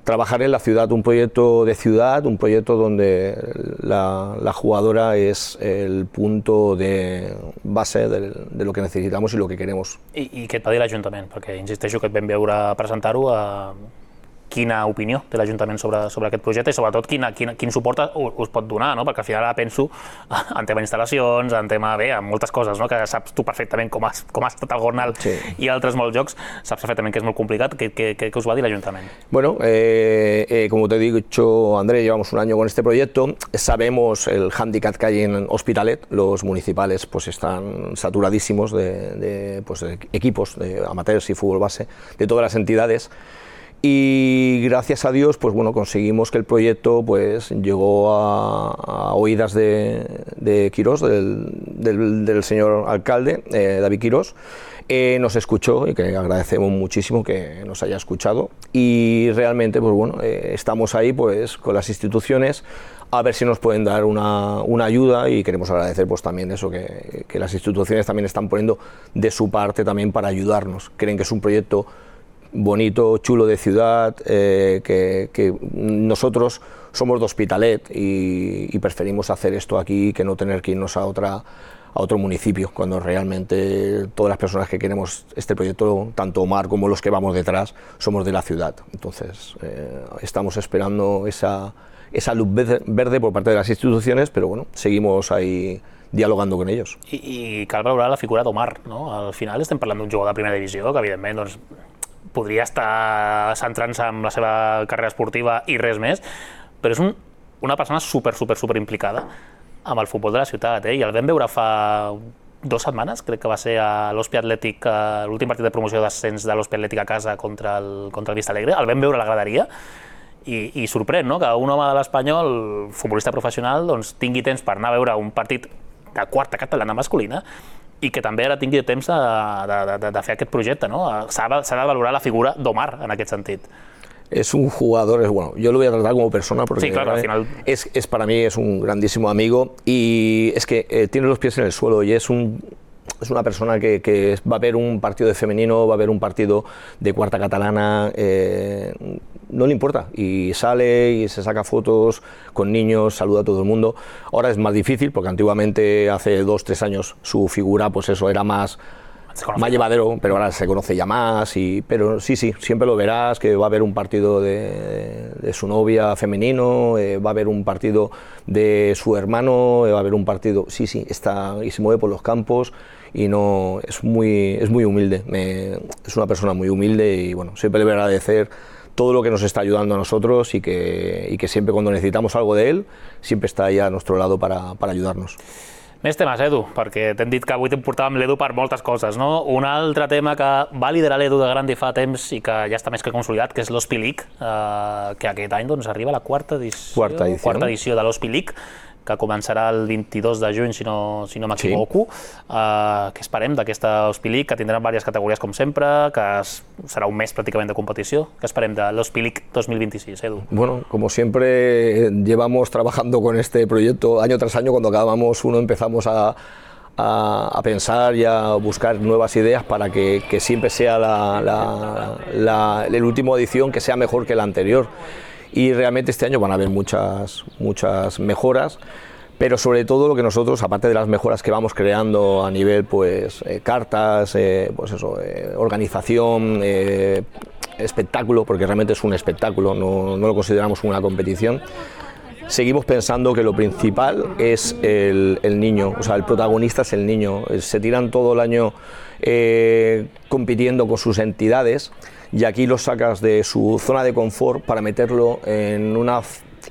trabajar en la ciudad, un proyecto de ciudad, un proyecto donde la, la jugadora es el punto de base de, de lo que necesitamos y lo que queremos. I, i què et va dir l'Ajuntament? Perquè insisteixo que et vam veure presentar-ho a... quina opinió té l'Ajuntament sobre, sobre aquest projecte i sobretot quina, quina, quin suport us pot donar, no? Perquè al final ara penso en tema instal·lacions, en tema, bé, en moltes coses, no? Que saps tu perfectament com ha, com ha estat el Gornal sí. i altres molts jocs, saps perfectament que és molt complicat. ¿Qué, qué, qué us va dir l'Ajuntament? Bueno, eh, eh, como te he dicho, Andrés, llevamos un año con este proyecto, sabemos el hándicap que hay en Hospitalet, los municipales pues están saturadísimos de, de, pues, de equipos de amateurs y fútbol base de todas las entidades. Y gracias a Dios, pues bueno, conseguimos que el proyecto pues llegó a, a oídas de, de Quirós, del, del, del señor alcalde, eh, David Quirós. Eh, nos escuchó y que agradecemos muchísimo que nos haya escuchado. Y realmente, pues bueno, eh, estamos ahí pues con las instituciones a ver si nos pueden dar una, una ayuda y queremos agradecer pues también eso, que, que las instituciones también están poniendo de su parte también para ayudarnos. Creen que es un proyecto bonito, chulo de ciudad, eh, que, que nosotros somos de Hospitalet y, y preferimos hacer esto aquí que no tener que irnos a, otra, a otro municipio, cuando realmente todas las personas que queremos este proyecto, tanto Omar como los que vamos detrás, somos de la ciudad. Entonces eh, estamos esperando esa, esa luz verde por parte de las instituciones, pero bueno, seguimos ahí dialogando con ells. I, i cal valorar la figura d'Omar, no? Al final estem parlant d'un jugador de primera divisió que evidentment doncs, podria estar centrant-se en la seva carrera esportiva i res més, però és un, una persona super, super, super implicada amb el futbol de la ciutat, eh? I el vam veure fa dues setmanes, crec que va ser a l'Hospi Atlètic, l'últim partit de promoció d'ascens de l'Hospi Atlètic a casa contra el, contra el Vista Alegre, el vam veure a la graderia i, i sorprèn, no?, que un home de l'Espanyol, futbolista professional, doncs, tingui temps per anar a veure un partit de quarta catalana masculina i que també ara tingui temps de, de, de, de fer aquest projecte, no? S'ha de valorar la figura d'Omar en aquest sentit. Es un jugador, es, bueno, yo lo voy a tratar como persona porque sí, claro, al final... es, es para mí es un grandísimo amigo y es que eh, tiene los pies en el suelo y es un es una persona que, que va a ver un partido de femenino, va a ver un partido de cuarta catalana, eh, no le importa y sale y se saca fotos con niños, saluda a todo el mundo. Ahora es más difícil porque antiguamente, hace dos, tres años, su figura pues eso era más más llevadero, pero ahora se conoce ya más, y, pero sí, sí, siempre lo verás, que va a haber un partido de, de su novia femenino, eh, va a haber un partido de su hermano, eh, va a haber un partido, sí, sí, está y se mueve por los campos y no, es muy, es muy humilde, me, es una persona muy humilde y bueno, siempre le voy a agradecer todo lo que nos está ayudando a nosotros y que, y que siempre cuando necesitamos algo de él, siempre está ahí a nuestro lado para, para ayudarnos. Més temes, Edu, perquè t'hem dit que avui t'hem portat amb l'Edu per moltes coses, no? Un altre tema que va liderar l'Edu de Grandi fa temps i que ja està més que consolidat, que és l'Hospi League, eh, que aquest any doncs, arriba a la quarta edició, quarta edició. quarta edició de l'Hospi League, que començarà el vint-i-dos de juny, si no, si no m'equivoco. Sí. Eh, què esperem d'aquesta Hospi League, que tindrà diverses categories com sempre, que serà un mes pràcticament de competició? Què esperem de l'Hospi League dos mil vint-i-sis, Edu? Bueno, como siempre llevamos trabajando con este proyecto año tras año, cuando acabamos uno empezamos a, a, a pensar y a buscar nuevas ideas para que, que siempre sea la, la, la, la última edición que sea mejor que la anterior. Y realmente este año van a haber muchas, muchas mejoras, pero sobre todo lo que nosotros, aparte de las mejoras que vamos creando a nivel pues eh, cartas, eh, pues eso, eh, organización, eh, espectáculo, porque realmente es un espectáculo, no, no lo consideramos una competición, seguimos pensando que lo principal es el, el niño, o sea, el protagonista es el niño. Se tiran todo el año eh, compitiendo con sus entidades, y aquí lo sacas de su zona de confort para meterlo en una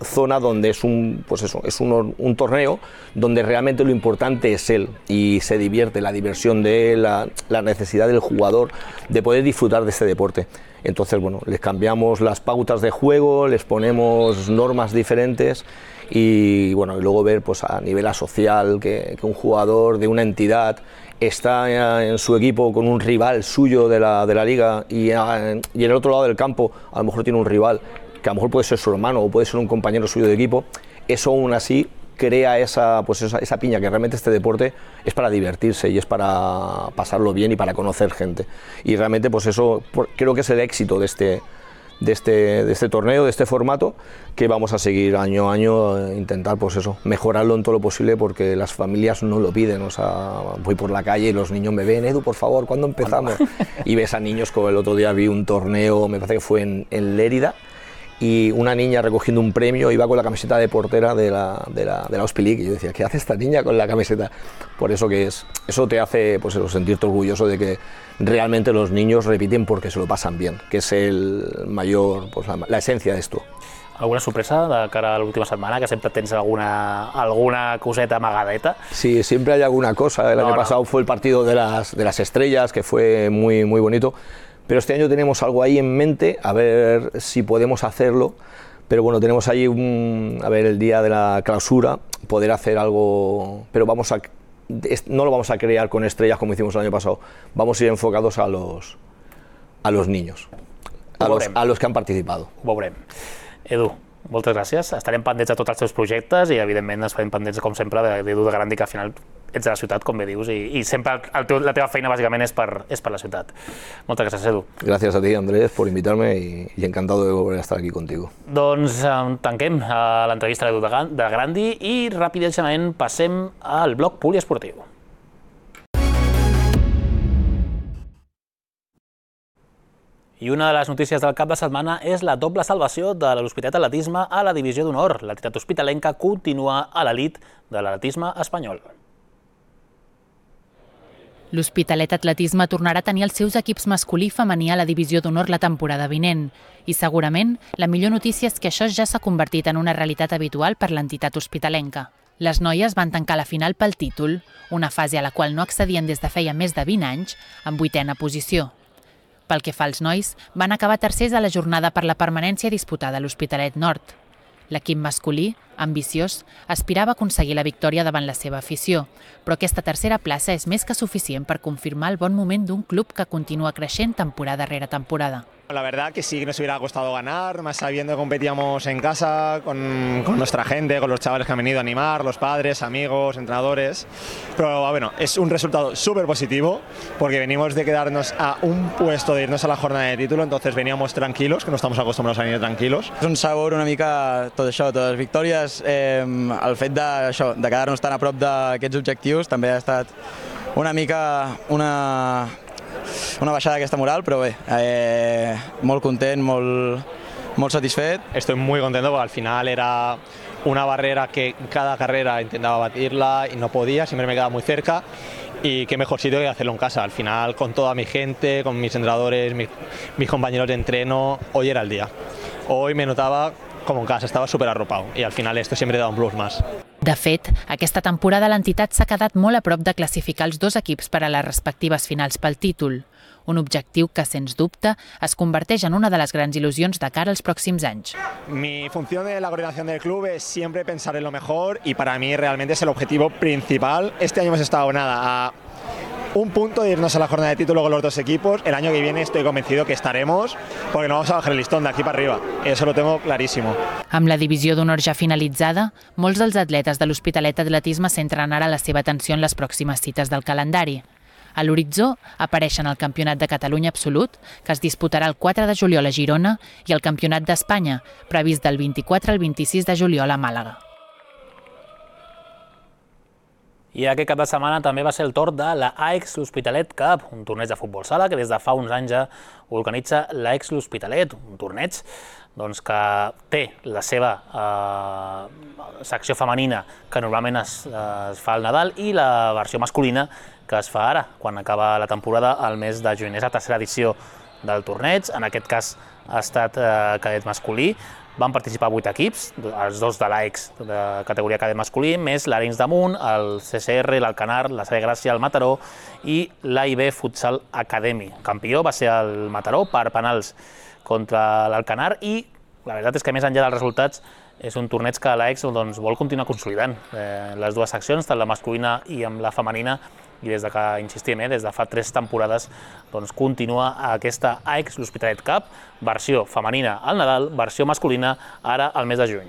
zona donde es un, pues eso, es un, un torneo donde realmente lo importante es él y se divierte, la diversión de él, la, la necesidad del jugador de poder disfrutar de este deporte. Entonces, bueno, les cambiamos las pautas de juego, les ponemos normas diferentes y bueno, y luego ver pues a nivel social que, que un jugador de una entidad está en su equipo con un rival suyo de la, de la liga y, a, y en el otro lado del campo a lo mejor tiene un rival que a lo mejor puede ser su hermano o puede ser un compañero suyo de equipo, eso aún así crea esa, pues esa, esa piña, que realmente este deporte es para divertirse y es para pasarlo bien y para conocer gente. Y realmente pues eso por, creo que es el éxito de este, de, este, de este torneo, de este formato, que vamos a seguir año a año, eh, intentar pues eso, mejorarlo en todo lo posible porque las familias no lo piden. O sea, voy por la calle y los niños me ven, Edu, por favor, ¿cuándo empezamos? Y ves a niños, como el otro día vi un torneo, me parece que fue en, en Lérida, y una niña recogiendo un premio iba con la camiseta de portera de la, de la, de la Ospilic, y yo decía, ¿qué hace esta niña con la camiseta? Por eso que es, eso te hace pues eso, sentirte orgulloso de que realmente los niños repiten porque se lo pasan bien, que es el mayor, pues la, la esencia de esto. ¿Alguna sorpresa de cara a l'última setmana, que siempre tens alguna, alguna coseta amagadeta? Sí, siempre hay alguna cosa. El no, año no. pasado fue el partido de las, de las estrellas, que fue muy, muy bonito, pero este año tenemos algo ahí en mente, a ver si podemos hacerlo, pero bueno, tenemos ahí un, a ver, el día de la clausura, poder hacer algo, pero vamos a, no lo vamos a crear con estrellas como hicimos el año pasado, vamos a ir enfocados a los, a los niños, a los, a los que han participado. Ho veurem. Edu, moltes gràcies. Estarem pendents de tots els teus projectes i, evidentment, ens farem pendents, com sempre, d'Edu de Grandi, que al final ets de la ciutat, com bé dius, i, i sempre el teu, la teva feina, bàsicament, és per, és per la ciutat. Moltes gràcies, Edu. Gràcies a ti, Andrés, por invitarme y, y encantado de volver a estar aquí contigo. Doncs eh, tanquem eh, l'entrevista a l'Edu de, de Grandi i ràpidament passem al bloc poliesportiu. I una de les notícies del cap de setmana és la doble salvació de l'Hospitalet Atletisme a la divisió d'honor. L'entitat hospitalenca continua a l'elit de l'atletisme espanyol. L'Hospitalet Atletisme tornarà a tenir els seus equips masculí i femení a la divisió d'honor la temporada vinent. I segurament la millor notícia és que això ja s'ha convertit en una realitat habitual per l'entitat hospitalenca. Les noies van tancar la final pel títol, una fase a la qual no accedien des de feia més de vint anys, en vuitena posició. Pel que fa als nois, van acabar tercers a la jornada per la permanència disputada a l'Hospitalet Nord. L'equip masculí, ambiciós, aspirava a aconseguir la victòria davant la seva afició, però aquesta tercera plaça és més que suficient per confirmar el bon moment d'un club que continua creixent temporada rere temporada. La verdad que sí que nos hubiera costado ganar, más sabiendo que competíamos en casa con, con nuestra gente, con los chavales que han venido a animar, los padres, amigos, entrenadores. Pero bueno, es un resultado súper positivo porque venimos de quedarnos a un puesto de irnos a la jornada de título, entonces veníamos tranquilos, que no estamos acostumbrados a venir tranquilos. És un sabor una mica tot això, totes les victòries, eh, el fet de, això, de quedar-nos tan a prop d'aquests objectius també ha estat una mica una... una baixada d'aquesta moral, però bé, eh, molt content, molt, molt satisfet. Estoy muy contento porque al final era una barrera que cada carrera intentaba batirla y no podía, siempre me quedaba muy cerca y qué mejor sitio que hacerlo en casa. Al final, con toda mi gente, con mis entrenadores, mis, mis compañeros de entreno, hoy era el día. Hoy me notaba como en casa, estava super arropado i al final esto siempre da un plus más. De fet, aquesta temporada l'entitat s'ha quedat molt a prop de classificar els dos equips per a les respectives finals pel títol, un objectiu que, sens dubte, es converteix en una de les grans il·lusions de cara als pròxims anys. Mi función de la coordinación del club es siempre pensar en lo mejor y para mí realmente es el objetivo principal. Este año hemos estado nada a un punto de irnos a la jornada de título con los dos equipos. El año que viene estoy convencido que estaremos, porque no vamos a bajar el listón de aquí para arriba. Eso lo tengo clarísimo. Amb la divisió d'honor ja finalitzada, molts dels atletes de l'Hospitalet Atletisme centren ara la seva atenció en les pròximes cites del calendari. A l'horitzó apareixen el Campionat de Catalunya Absolut, que es disputarà el quatre de juliol a Girona, i el Campionat d'Espanya, previst del vint-i-quatre al vint-i-sis de juliol a Màlaga. I aquest cap de setmana també va ser el torn de la A E X L'Hospitalet Cup, un torneig de futbol sala que des de fa uns anys ja organitza l'A E X L'Hospitalet, un torneig doncs, que té la seva eh, secció femenina, que normalment es, es fa al Nadal, i la versió masculina, que es fa ara, quan acaba la temporada al mes de juny. És la tercera edició del torneig, en aquest cas ha estat eh, cadet masculí. Van participar vuit equips, els dos de l'A E X de categoria cadet masculí, més l'Arenys de Munt, el C C R, l'Alcanar, la Salle Gràcia, el Mataró i l'A I B Futsal Academy. El campió va ser el Mataró per penals contra l'Alcanar i la veritat és que més enllà dels resultats és un torneig que l'A E X doncs, vol continuar consolidant. Eh, les dues seccions, tant la masculina i amb la femenina, i des de que, insistim, eh, des de fa tres temporades doncs, continua aquesta A E X L'Hospitalet Cup, versió femenina al Nadal, versió masculina ara al mes de juny.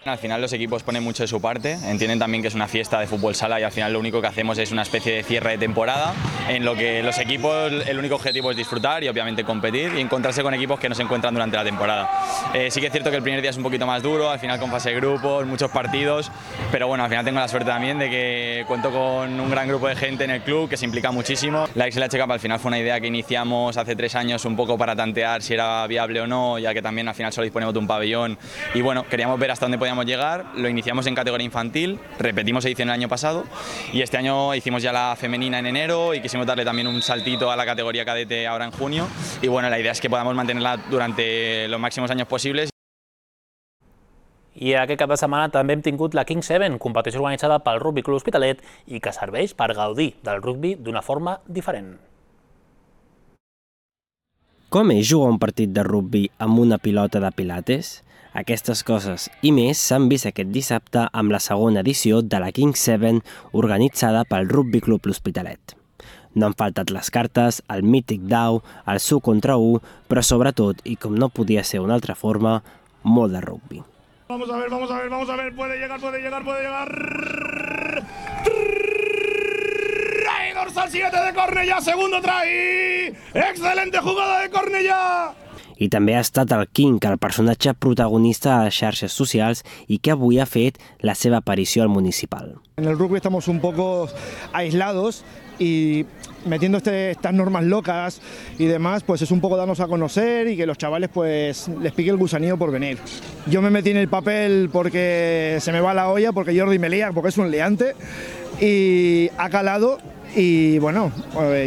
Al final los equipos ponen mucho de su parte, entienden también que es una fiesta de fútbol sala y al final lo único que hacemos es una especie de cierre de temporada en lo que los equipos, el único objetivo es disfrutar y obviamente competir y encontrarse con equipos que no se encuentran durante la temporada. Eh, sí que es cierto que el primer día es un poquito más duro, al final con fase de grupos, muchos partidos, pero bueno, al final tengo la suerte también de que cuento con un gran grupo de gente en el club que se implica muchísimo. La X L H Cup al final fue una idea que iniciamos hace tres años un poco para tantear si era viable o no, ya que también al final solo disponemos de un pabellón y bueno, queríamos ver hasta dónde podíamos llegar. Lo iniciamos en categoría infantil, repetimos edición el año pasado y este año hicimos ya la femenina en enero y quisimos darle también un saltito a la categoría cadete ahora en junio y bueno, la idea es que podamos mantenerla durante los máximos años posibles. I aquest cap de setmana també hem tingut la King Seven, competició organitzada pel Rugby Club Hospitalet i que serveix per gaudir del rugby d'una forma diferent. Com és jugar un partit de rugby amb una pilota de pilates? Aquestes coses i més s'han vist aquest dissabte amb la segona edició de la King Seven organitzada pel Rugby Club L'Hospitalet. No han faltat les cartes, el mític dau, el su contra u, però sobretot, i com no podia ser d'una altra forma, molt de rugby. Vamos a ver, vamos a ver, vamos a ver, puede llegar, puede llegar, puede llegar. Try, dorsal siete de Cornellà, segundo try. Excelente jugada de Cornellà. I també ha estat el King, el personatge protagonista a les xarxes socials i que avui ha fet la seva aparició al municipal. En el rugby estamos un poco aislados y metiendo este, estas normas locas y demás, pues es un poco darnos a conocer y que los chavales pues les pique el gusanillo por venir. Yo me metí en el papel porque se me va la olla, porque Jordi me lía, porque es un liante y ha calado. Y bueno,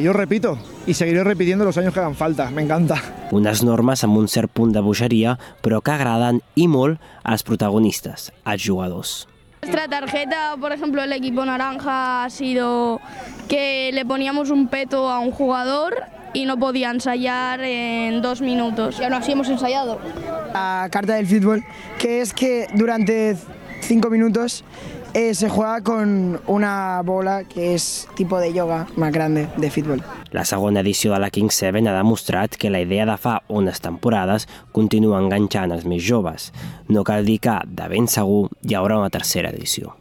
yo repito, y seguiré repitiendo los años que hagan falta, me encanta. Unes normes amb un cert punt de bogeria, però que agraden i molt als protagonistes, als jugadors. Nuestra tarjeta, por ejemplo, el equipo naranja ha sido que le poníamos un peto a un jugador y no podía ensayar en dos minutos. Y aún así hemos ensayado. La carta del fútbol, que es que durante cinco minutos Eh, se juega con una bola que és tipus de yoga més grande de futbol. La segona edició de la King Seven ha demostrat que la idea de fa unes temporades continua enganxant els més joves. No cal dir que, de ben segur, hi haurà una tercera edició.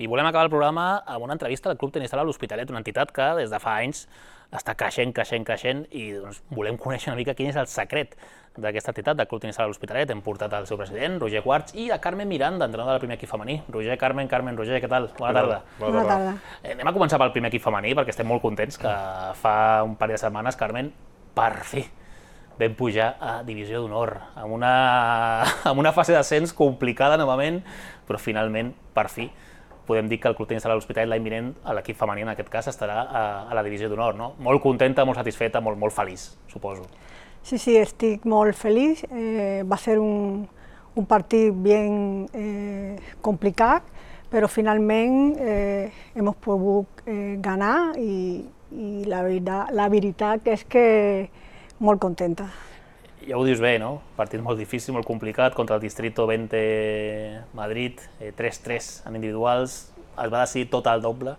I volem acabar el programa amb una entrevista al Club Tenis Sala L'Hospitalet, una entitat que des de fa anys està creixent, creixent, creixent i doncs, volem conèixer una mica quin és el secret d'aquesta entitat del Club Tenis Sala L'Hospitalet. Hem portat el seu president, Roger Quarts, i a Carmen Miranda, entrenador del primer equip femení. Roger, Carmen, Carmen, Roger, què tal? Bona tarda. Bona tarda. Eh, anem a començar pel primer equip femení perquè estem molt contents que fa un parell de setmanes, Carmen, per fi vam pujar a Divisió d'Honor, amb una, amb una fase d'ascens complicada novament, però finalment, per fi, podem dir que el Club Tenis Sala L'Hospitalet l'any vinent, l'equip femení en aquest cas, estarà a, a la Divisió d'Honor, no? Molt contenta, molt satisfeta, molt, molt feliç, suposo. Sí, sí, estic molt feliç. Eh, va ser un, un partit ben eh, complicat, però finalment eh, hem pogut eh, ganar i, i la, veritat, la veritat és que molt contenta. Ja ho dius bé, no? Partit molt difícil, molt complicat, contra el Distrito vint Madrid, eh, tres tres en individuals, es va decidir tot al doble.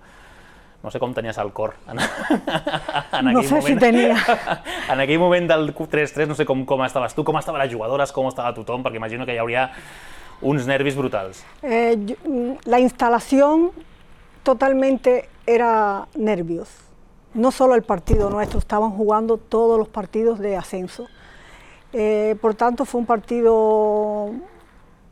No sé com tenies el cor en, en no sé moment. Si tenia. En aquell moment del tres tres, no sé com, com estaves tu, com estaven les jugadores, com estava tothom, perquè imagino que hi hauria uns nervis brutals. Eh, la instalación totalmente era nervios. No solo el partido nuestro, estaban jugando todos los partidos de ascenso. Eh, por tanto, fue un partido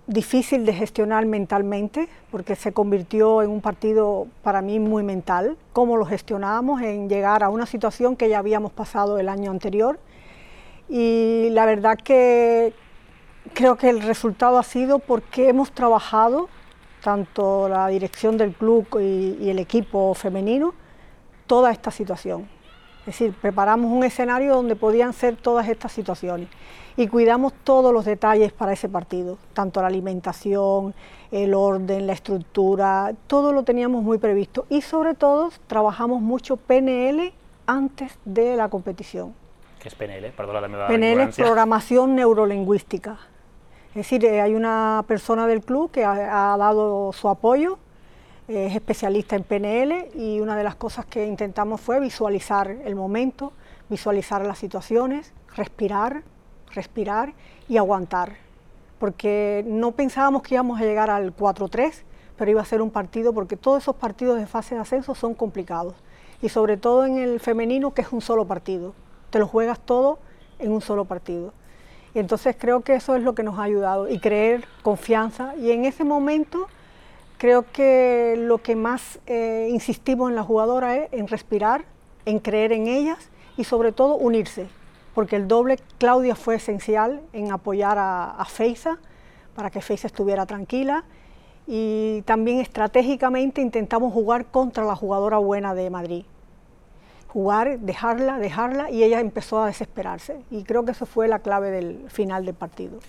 difícil de gestionar mentalmente, porque se convirtió en un partido para mí muy mental, cómo lo gestionábamos en llegar a una situación que ya habíamos pasado el año anterior. Y la verdad que creo que el resultado ha sido porque hemos trabajado, tanto la dirección del club y, y el equipo femenino, toda esta situación. Es decir, preparamos un escenario donde podían ser todas estas situaciones y cuidamos todos los detalles para ese partido, tanto la alimentación, el orden, la estructura, todo lo teníamos muy previsto y sobre todo trabajamos mucho P N L antes de la competición. ¿Qué es P N L? Perdona la meva P N L ignorancia. Es programación neurolingüística. Es decir, hay una persona del club que ha, ha dado su apoyo, es especialista en P N L y una de las cosas que intentamos fue visualizar el momento, visualizar las situaciones, respirar, respirar y aguantar, porque no pensábamos que íbamos a llegar al cuatro tres, pero iba a ser un partido, porque todos esos partidos de fase de ascenso son complicados, y sobre todo en el femenino, que es un solo partido, te lo juegas todo en un solo partido. Y entonces creo que eso es lo que nos ha ayudado, y creer confianza, y en ese momento creo que lo que más eh, insistimos en la jugadora es en respirar, en creer en ellas y sobre todo unirse, porque el doble Claudia fue esencial en apoyar a, a Feiza, para que Feiza estuviera tranquila, y también estratégicamente intentamos jugar contra la jugadora buena de Madrid. Jugar, dejarla, dejarla, y ella empezó a desesperarse, y creo que eso fue la clave del final del partido.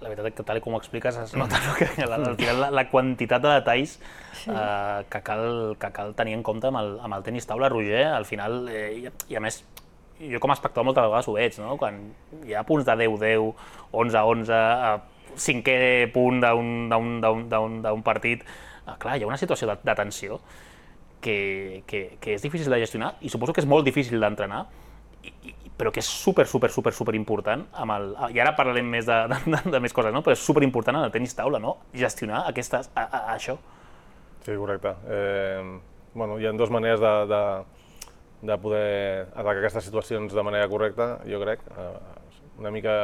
La veritat és que, tal com ho expliques, es nota no, que al final la, la quantitat de detalls sí. eh, que, cal, que cal tenir en compte amb el, amb el tenis taula, Roger. Al final, eh, i, i a més, jo com a espectador moltes vegades ho veig, no? Quan hi ha punts de deu deu, onze onze, eh, cinquè punt d'un partit, eh, clar, hi ha una situació de, de tensió que, que, que és difícil de gestionar, i suposo que és molt difícil d'entrenar, però que és super, super, super, super important, amb el, i ara parlarem més de, de, de més coses, no? Però és super important en el tenis taula, no? Gestionar aquestes, a, a, a això. Sí, correcte. Eh, bueno, hi ha dues maneres de, de, de poder atacar aquestes situacions de manera correcta, jo crec. Eh, una mica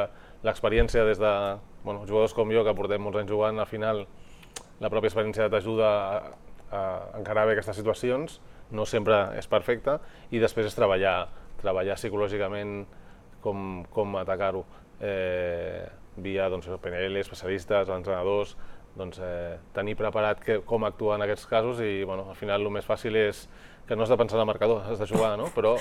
l'experiència des de bueno, jugadors com jo, que portem molts anys jugant, al final la pròpia experiència t'ajuda a, a encarar bé aquestes situacions, no sempre és perfecta, i després és treballar treballar psicològicament com, com atacar-ho, eh, via doncs, P N L, especialistes, entrenadors, doncs, eh, tenir preparat que, com actuar en aquests casos, i bueno, al final el més fàcil és que no has de pensar en el marcador, has de jugar, no? Però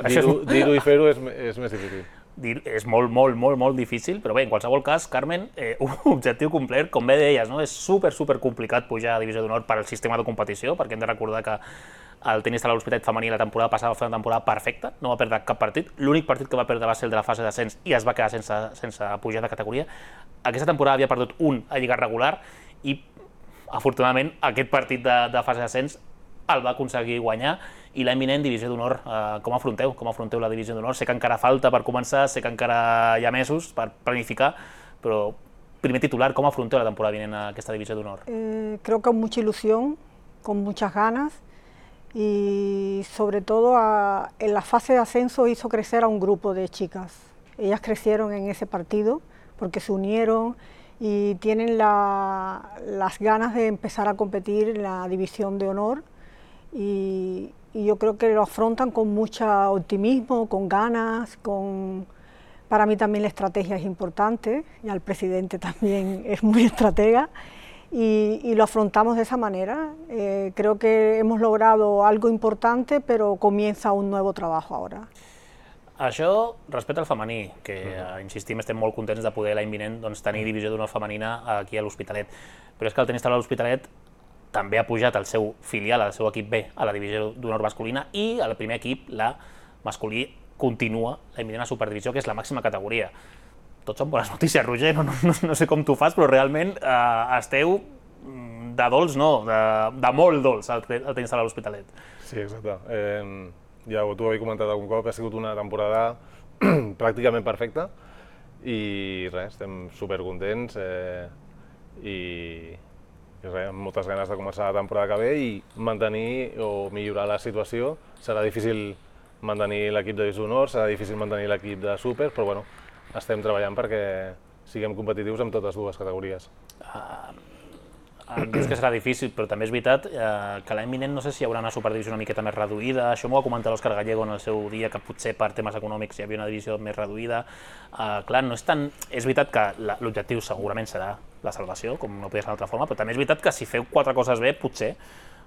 dir-ho dir i fer-ho és, és més difícil. Dir, és molt, molt, molt, molt difícil, però bé, en qualsevol cas, Carmen, eh, un objectiu complert, com bé deies, no? És super, super complicat pujar a Divisió d'Honor per al sistema de competició, perquè hem de recordar que el tenis taula l'Hospitalet femení la temporada passada va fer una temporada perfecta, no va perdre cap partit, l'únic partit que va perdre va ser el de la fase d'ascens i es va quedar sense, sense pujar de categoria. Aquesta temporada havia perdut un a lliga regular i, afortunadament, aquest partit de, de fase d'ascens el va aconseguir guanyar, i l'any vinent Divisió d'Honor, eh, com afronteu? Com afronteu la Divisió d'Honor? Sé que encara falta per començar, sé que encara hi ha mesos per planificar, però primer titular, ¿cómo afrontó la temporada vinent a aquesta Divisió d'Honor? Eh, creo que con mucha ilusión, con muchas ganas, y sobre todo a, en la fase de ascenso hizo crecer a un grupo de chicas. Ellas crecieron en ese partido porque se unieron y tienen la, las ganas de empezar a competir en la División de Honor, y, y yo creo que lo afrontan con mucho optimismo, con ganas, con... Para mí también la estrategia es importante, y al presidente también es muy estratega, y, y lo afrontamos de esa manera. Eh, creo que hemos logrado algo importante, però comienza un nuevo trabajo ahora. Això respecte al femení, que uh-huh. insistim, estem molt contents de poder l'any vinent doncs, tenir Divisió d'Honor femenina aquí a l'Hospitalet. Però és que el tenis taula de l'Hospitalet també ha pujat el seu filial, el seu equip B, a la Divisió d'Honor masculina, i el primer equip, la masculí, continua l'any vinent a Superdivisió, que és la màxima categoria. Tot són bones notícies, Roger, no, no, no sé com tu fas, però realment eh, esteu de dolç, no, de, de molt dolç al, al tenis taula de l'Hospitalet. Sí, exacte. Eh, ja t'ho havia comentat algun cop, ha sigut una temporada pràcticament perfecta, i res, estem supercontents eh, i, i res, amb moltes ganes de començar la temporada que ve i mantenir o millorar la situació. Serà difícil mantenir l'equip de Divisió d'Honor, serà difícil mantenir l'equip de Super, però bueno, estem treballant perquè siguem competitius en totes dues categories. Uh, em dius que serà difícil, però també és veritat uh, que l'any vinent no sé si hi haurà una superdivisió una miqueta més reduïda. Això m'ho va comentar l'Òscar Gallego en el seu dia, que potser per temes econòmics hi havia una divisió més reduïda. Uh, clar, no és tan... És veritat que l'objectiu segurament serà la salvació, com no podria ser d'altra forma, però també és veritat que si feu quatre coses bé, potser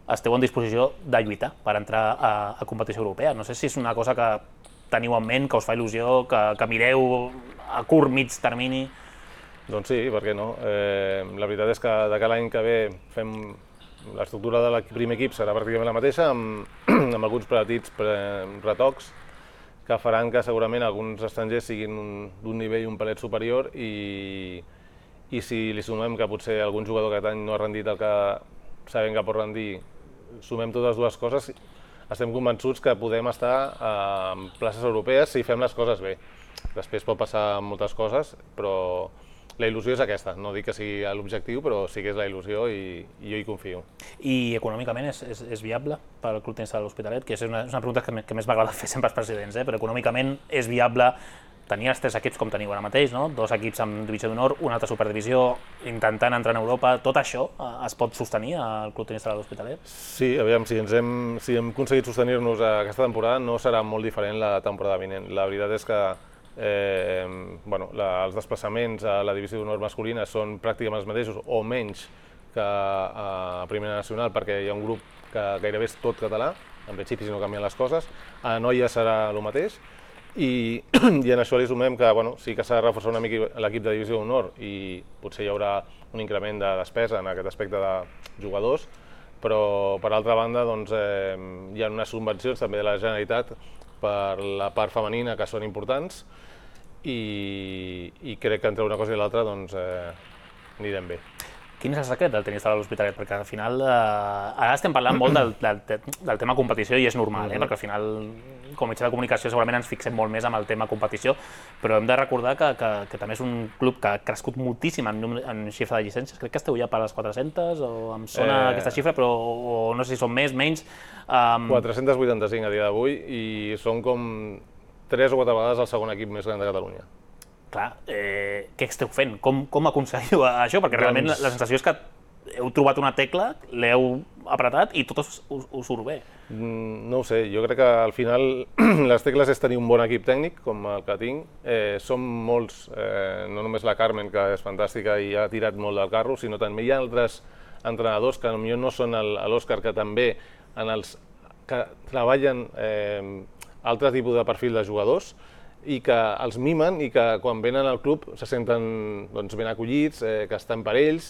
esteu en disposició de lluitar per entrar a, a competició europea. No sé si és una cosa que teniu en ment, que us fa il·lusió, que, que mireu a curt, mig termini. Doncs sí, per què no? Eh, la veritat és que de cada any que ve fem l'estructura del primer equip serà pràcticament la mateixa, amb, amb alguns petits retocs que faran que segurament alguns estrangers siguin d'un nivell un pelet superior, i, i si li sumem que potser algun jugador aquest any no ha rendit el que sabem que pot rendir, sumem totes dues coses, estem convençuts que podem estar en places europees si fem les coses bé. Després pot passar moltes coses, però la il·lusió és aquesta. No dic que sigui l'objectiu, però sí que és la il·lusió i, i jo hi confio. I econòmicament és, és, és viable pel Club Tenis Sala de l'Hospitalet? Que és una, és una pregunta que, que més m'agrada fer sempre als presidents, eh? Però econòmicament és viable tenir els tres equips com teniu ara mateix, no? Dos equips amb divisió d'honor, una altra superdivisió, intentant entrar en Europa. Tot això eh, es pot sostenir al Club Tenis Sala de l'Hospitalet? Sí, aviam, si, ens hem, si hem aconseguit sostenir-nos aquesta temporada no serà molt diferent la temporada vinent. La veritat és que eh, bueno, la, els desplaçaments a la divisió d'honor masculina són pràcticament els mateixos o menys que a Primera Nacional, perquè hi ha un grup que gairebé és tot català, en principi si no canvien les coses. A noia serà el mateix. I, i en això li sumem que bueno, sí que s'ha de reforçar una mica l'equip de divisió d'honor i potser hi haurà un increment de despesa en aquest aspecte de jugadors, però per altra banda doncs, eh, hi ha unes subvencions també de la Generalitat per la part femenina que són importants i, i crec que entre una cosa i l'altra doncs, eh, anirem bé. Quin és el secret del tenis sala de l'Hospitalet? Perquè al final, eh, ara estem parlant molt del, del, del tema competició i és normal, eh? Perquè al final, com a mitjà de comunicació, segurament ens fixem molt més en el tema competició, però hem de recordar que, que, que també és un club que ha crescut moltíssim en, en xifra de llicències. Crec que esteu ja per les quatre-centes, o em sona eh... aquesta xifra, però o no sé si són més, menys. Um... quatre-cents vuitanta-cinc a dia d'avui i són com tres o quatre vegades el segon equip més gran de Catalunya. Clar, eh, què esteu fent? Com, com aconseguiu això? Perquè realment doncs... la sensació és que heu trobat una tecla, l'heu apretat i tot us, us, us surt bé. Mm, no ho sé, jo crec que al final les tecles és tenir un bon equip tècnic, com el que tinc. Eh, som molts, eh, no només la Carmen, que és fantàstica i ha tirat molt del carro, sinó també hi ha altres entrenadors que potser no són l'Òscar, que també en els, que treballen eh, altres tipus de perfil de jugadors, i que els mimen i que quan venen al club se senten doncs, ben acollits, eh, que estan per ells,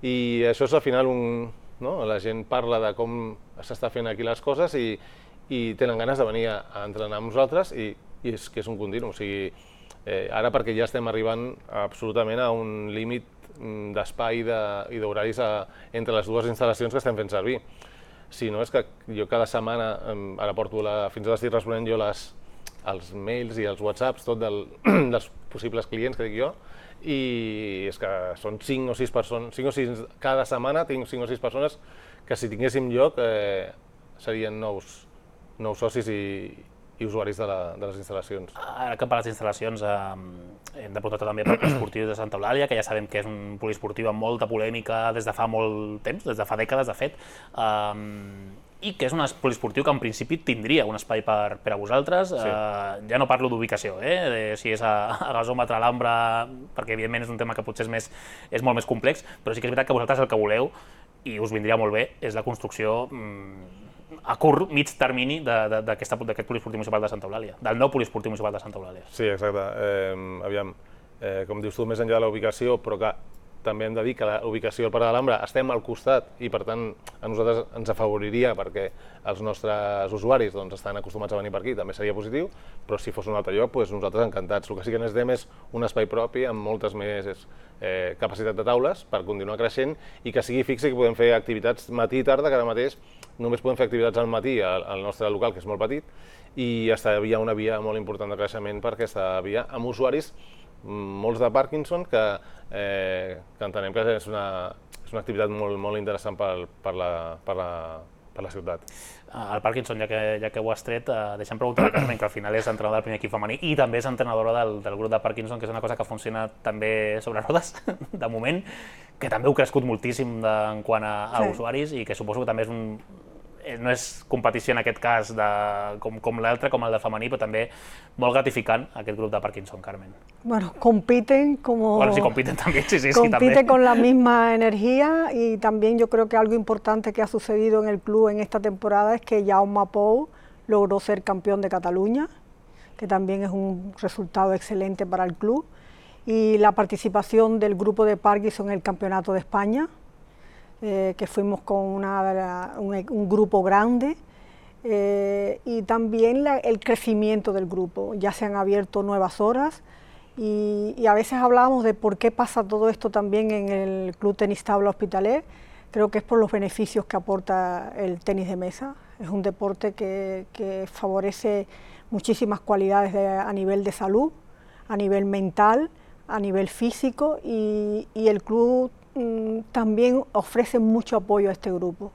i això és al final un... No? La gent parla de com s'està fent aquí les coses i, i tenen ganes de venir a, a entrenar amb nosaltres i, i és que és un continu. O sigui, eh, ara perquè ja estem arribant absolutament a un límit d'espai de, i d'horaris entre les dues instal·lacions que estem fent servir. Si no, és que jo cada setmana, ara porto la, fins ara estic responent jo les els mails i els whatsapps, tot del, dels possibles clients que dic jo, i és que són cinc o sis persones, cinc o sis, cada setmana tinc cinc o sis persones que si tinguéssim lloc eh, serien nous, nous socis i, i usuaris de, la, de les instal·lacions. Ara que per les instal·lacions eh, hem de preguntar també pel poliesportiu de Santa Eulàlia, que ja sabem que és un poliesportiu amb molta polèmica des de fa molt temps, des de fa dècades de fet, eh, i que és un poliesportiu que en principi tindria un espai per, per a vosaltres. Sí. Eh, ja no parlo d'ubicació, eh, de si és a, a Gasòmetre, a l'Ambra, perquè evidentment és un tema que potser és, més, és molt més complex, però sí que és veritat que vosaltres el que voleu, i us vindria molt bé, és la construcció mm, a curt, mig termini d'aquest poliesportiu municipal de Santa Eulàlia, del nou poliesportiu municipal de Santa Eulàlia. Sí, exacte. Eh, aviam, eh, com dius tu, més enllà de la ubicació, però que també hem de dir que la ubicació del Parc de l'Alhambra estem al costat i per tant a nosaltres ens afavoriria perquè els nostres usuaris doncs, estan acostumats a venir per aquí, també seria positiu, però si fos un altre lloc, doncs nosaltres encantats. El que sí que necessitem és un espai propi amb moltes més eh, capacitat de taules per continuar creixent i que sigui fixe, que podem fer activitats matí i tarda, que ara mateix només podem fer activitats al matí al, al nostre local, que és molt petit, i hi ha una via molt important de creixement per aquesta via amb usuaris molts de Parkinson, que, eh, que entenem que és una, és una activitat molt, molt interessant per, per, la, per, la, per la ciutat. El Parkinson, ja que, ja que ho has tret, eh, deixa'm preguntar a Carmen, que al final és entrenadora del primer equip femení i també és entrenadora del, del grup de Parkinson, que és una cosa que funciona també sobre rodes, de moment, que també heu crescut moltíssim de, en quant a, a sí. usuaris i que suposo que també és un... no és competició en aquest cas de, com, com l'altre, com el de femení, però també molt gratificant aquest grup de Parkinson, Carmen. Bueno, compiten como... Bueno, sí, compiten también, sí, sí, compiten sí, también. con la misma energía y también yo creo que algo importante que ha sucedido en el club en esta temporada es que Jaume Pou logró ser campeón de Cataluña, que también es un resultado excelente para el club, y la participación del grupo de Parkinson en el Campeonato de España, Eh, que fuimos con una, un, un grupo grande, eh, y también la, el crecimiento del grupo. Ya se han abierto nuevas horas y, y a veces hablábamos de por qué pasa todo esto también en el Club Tenis Tabla Hospitalet. Creo que es por los beneficios que aporta el tenis de mesa. Es un deporte que, que favorece muchísimas cualidades de, a nivel de salud, a nivel mental, a nivel físico, y, y el club mmm, también ofrece mucho apoyo a este grupo.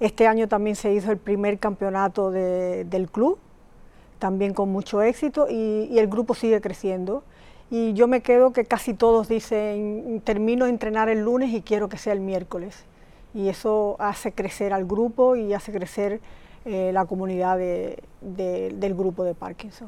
Este año también se hizo el primer campeonato de, del club, también con mucho éxito, y, y el grupo sigue creciendo. Y yo me quedo que casi todos dicen, termino de entrenar el lunes y quiero que sea el miércoles. Y eso hace crecer al grupo y hace crecer eh, la comunidad de, de, del grupo de Parkinson.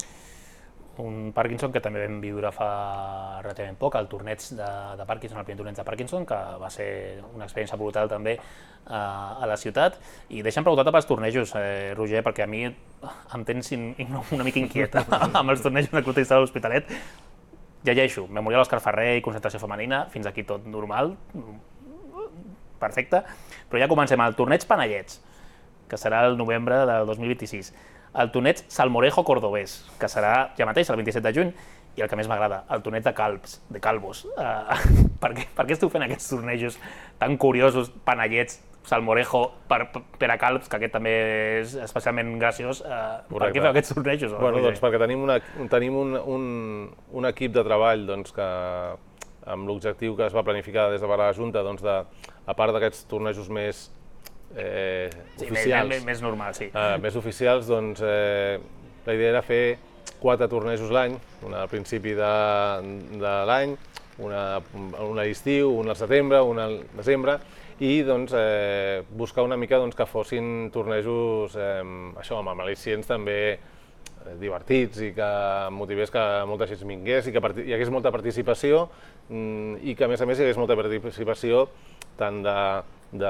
Un Parkinson que també vam viure fa relativament poc, el torneig de, de Parkinson, el primer torneig de Parkinson, que va ser una experiència brutal també eh, a la ciutat. I deixa'm preguntar-te pels tornejos, eh, Roger, perquè a mi em tens in, in, una mica inquieta amb els tornejos de Club Tennis de l'Hospitalet. Llegeixo, Memorial Òscar Ferrer i concentració femenina, fins aquí tot normal, perfecte, però ja comencem el torneig Panellets, que serà el novembre del dos mil vint-i-sis, el torneig Salmorejo Cordobès, que serà ja mateix el vint-i-set de juny, i el que més m'agrada, el torneig de calbs, de calvos. Uh, per, què, per què esteu fent aquests tornejos tan curiosos, Panellets, Salmorejo, per, per a calbs, que aquest també és especialment graciós? Uh, per què feu aquests tornejos? Bueno, doncs perquè tenim, una, tenim un, un, un equip de treball doncs, que, amb l'objectiu que es va planificar des de la Junta, doncs, de, a part d'aquests tornejos més eh, sí, oficials, més, més normal, sí. eh, més oficials, doncs eh, la idea era fer quatre tornejos l'any, un al principi de, de l'any, una, un a l'estiu, un al setembre, un al desembre, i doncs, eh, buscar una mica doncs, que fossin tornejos eh, això, amb al·licients també divertits i que motivés que molta gent vingués i que hi hagués molta participació i que a més a més hi hagués molta participació tant de, de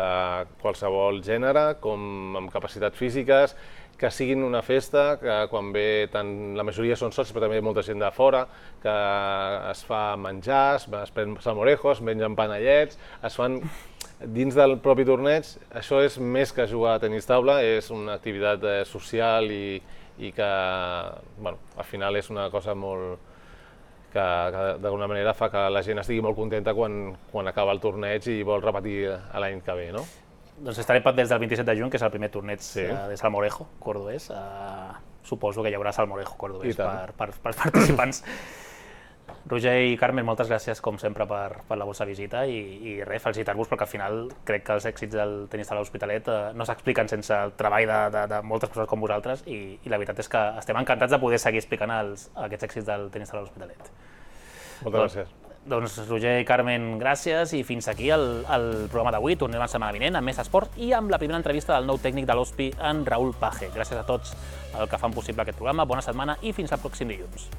qualsevol gènere com amb capacitats físiques, que siguin una festa, que quan ve tant la majoria són socis però també molta gent de fora, que es fa menjar, es pren salmorejo, es mengen panellets, es fan dins del propi torneig. Això és més que jugar a tenis taula, és una activitat social i i que, bueno, al final és una cosa molt que, que d'alguna manera fa que la gent estigui molt contenta quan, quan acaba el torneig i vol repetir l'any que ve, no? Doncs estarem des del vint-i-set de juny, que és el primer torneig sí. de Salmorejo Cordobès. Uh, suposo que hi haurà Salmorejo Cordobès per, per, per participants. Roger i Carmen, moltes gràcies, com sempre, per, per la vostra visita i, i res, felicitar-vos, perquè al final crec que els èxits del tenis de l'Hospitalet eh, no s'expliquen sense el treball de, de, de moltes persones com vosaltres i, i la veritat és que estem encantats de poder seguir explicant els, aquests èxits del tenis de l'Hospitalet. Moltes gràcies. Doncs Roger i Carmen, gràcies, i fins aquí el, el programa d'avui. Tornem la setmana vinent amb més esport i amb la primera entrevista del nou tècnic de l'Hospi, en Raül Page. Gràcies a tots el que fan possible aquest programa, bona setmana i fins al pròxim dilluns.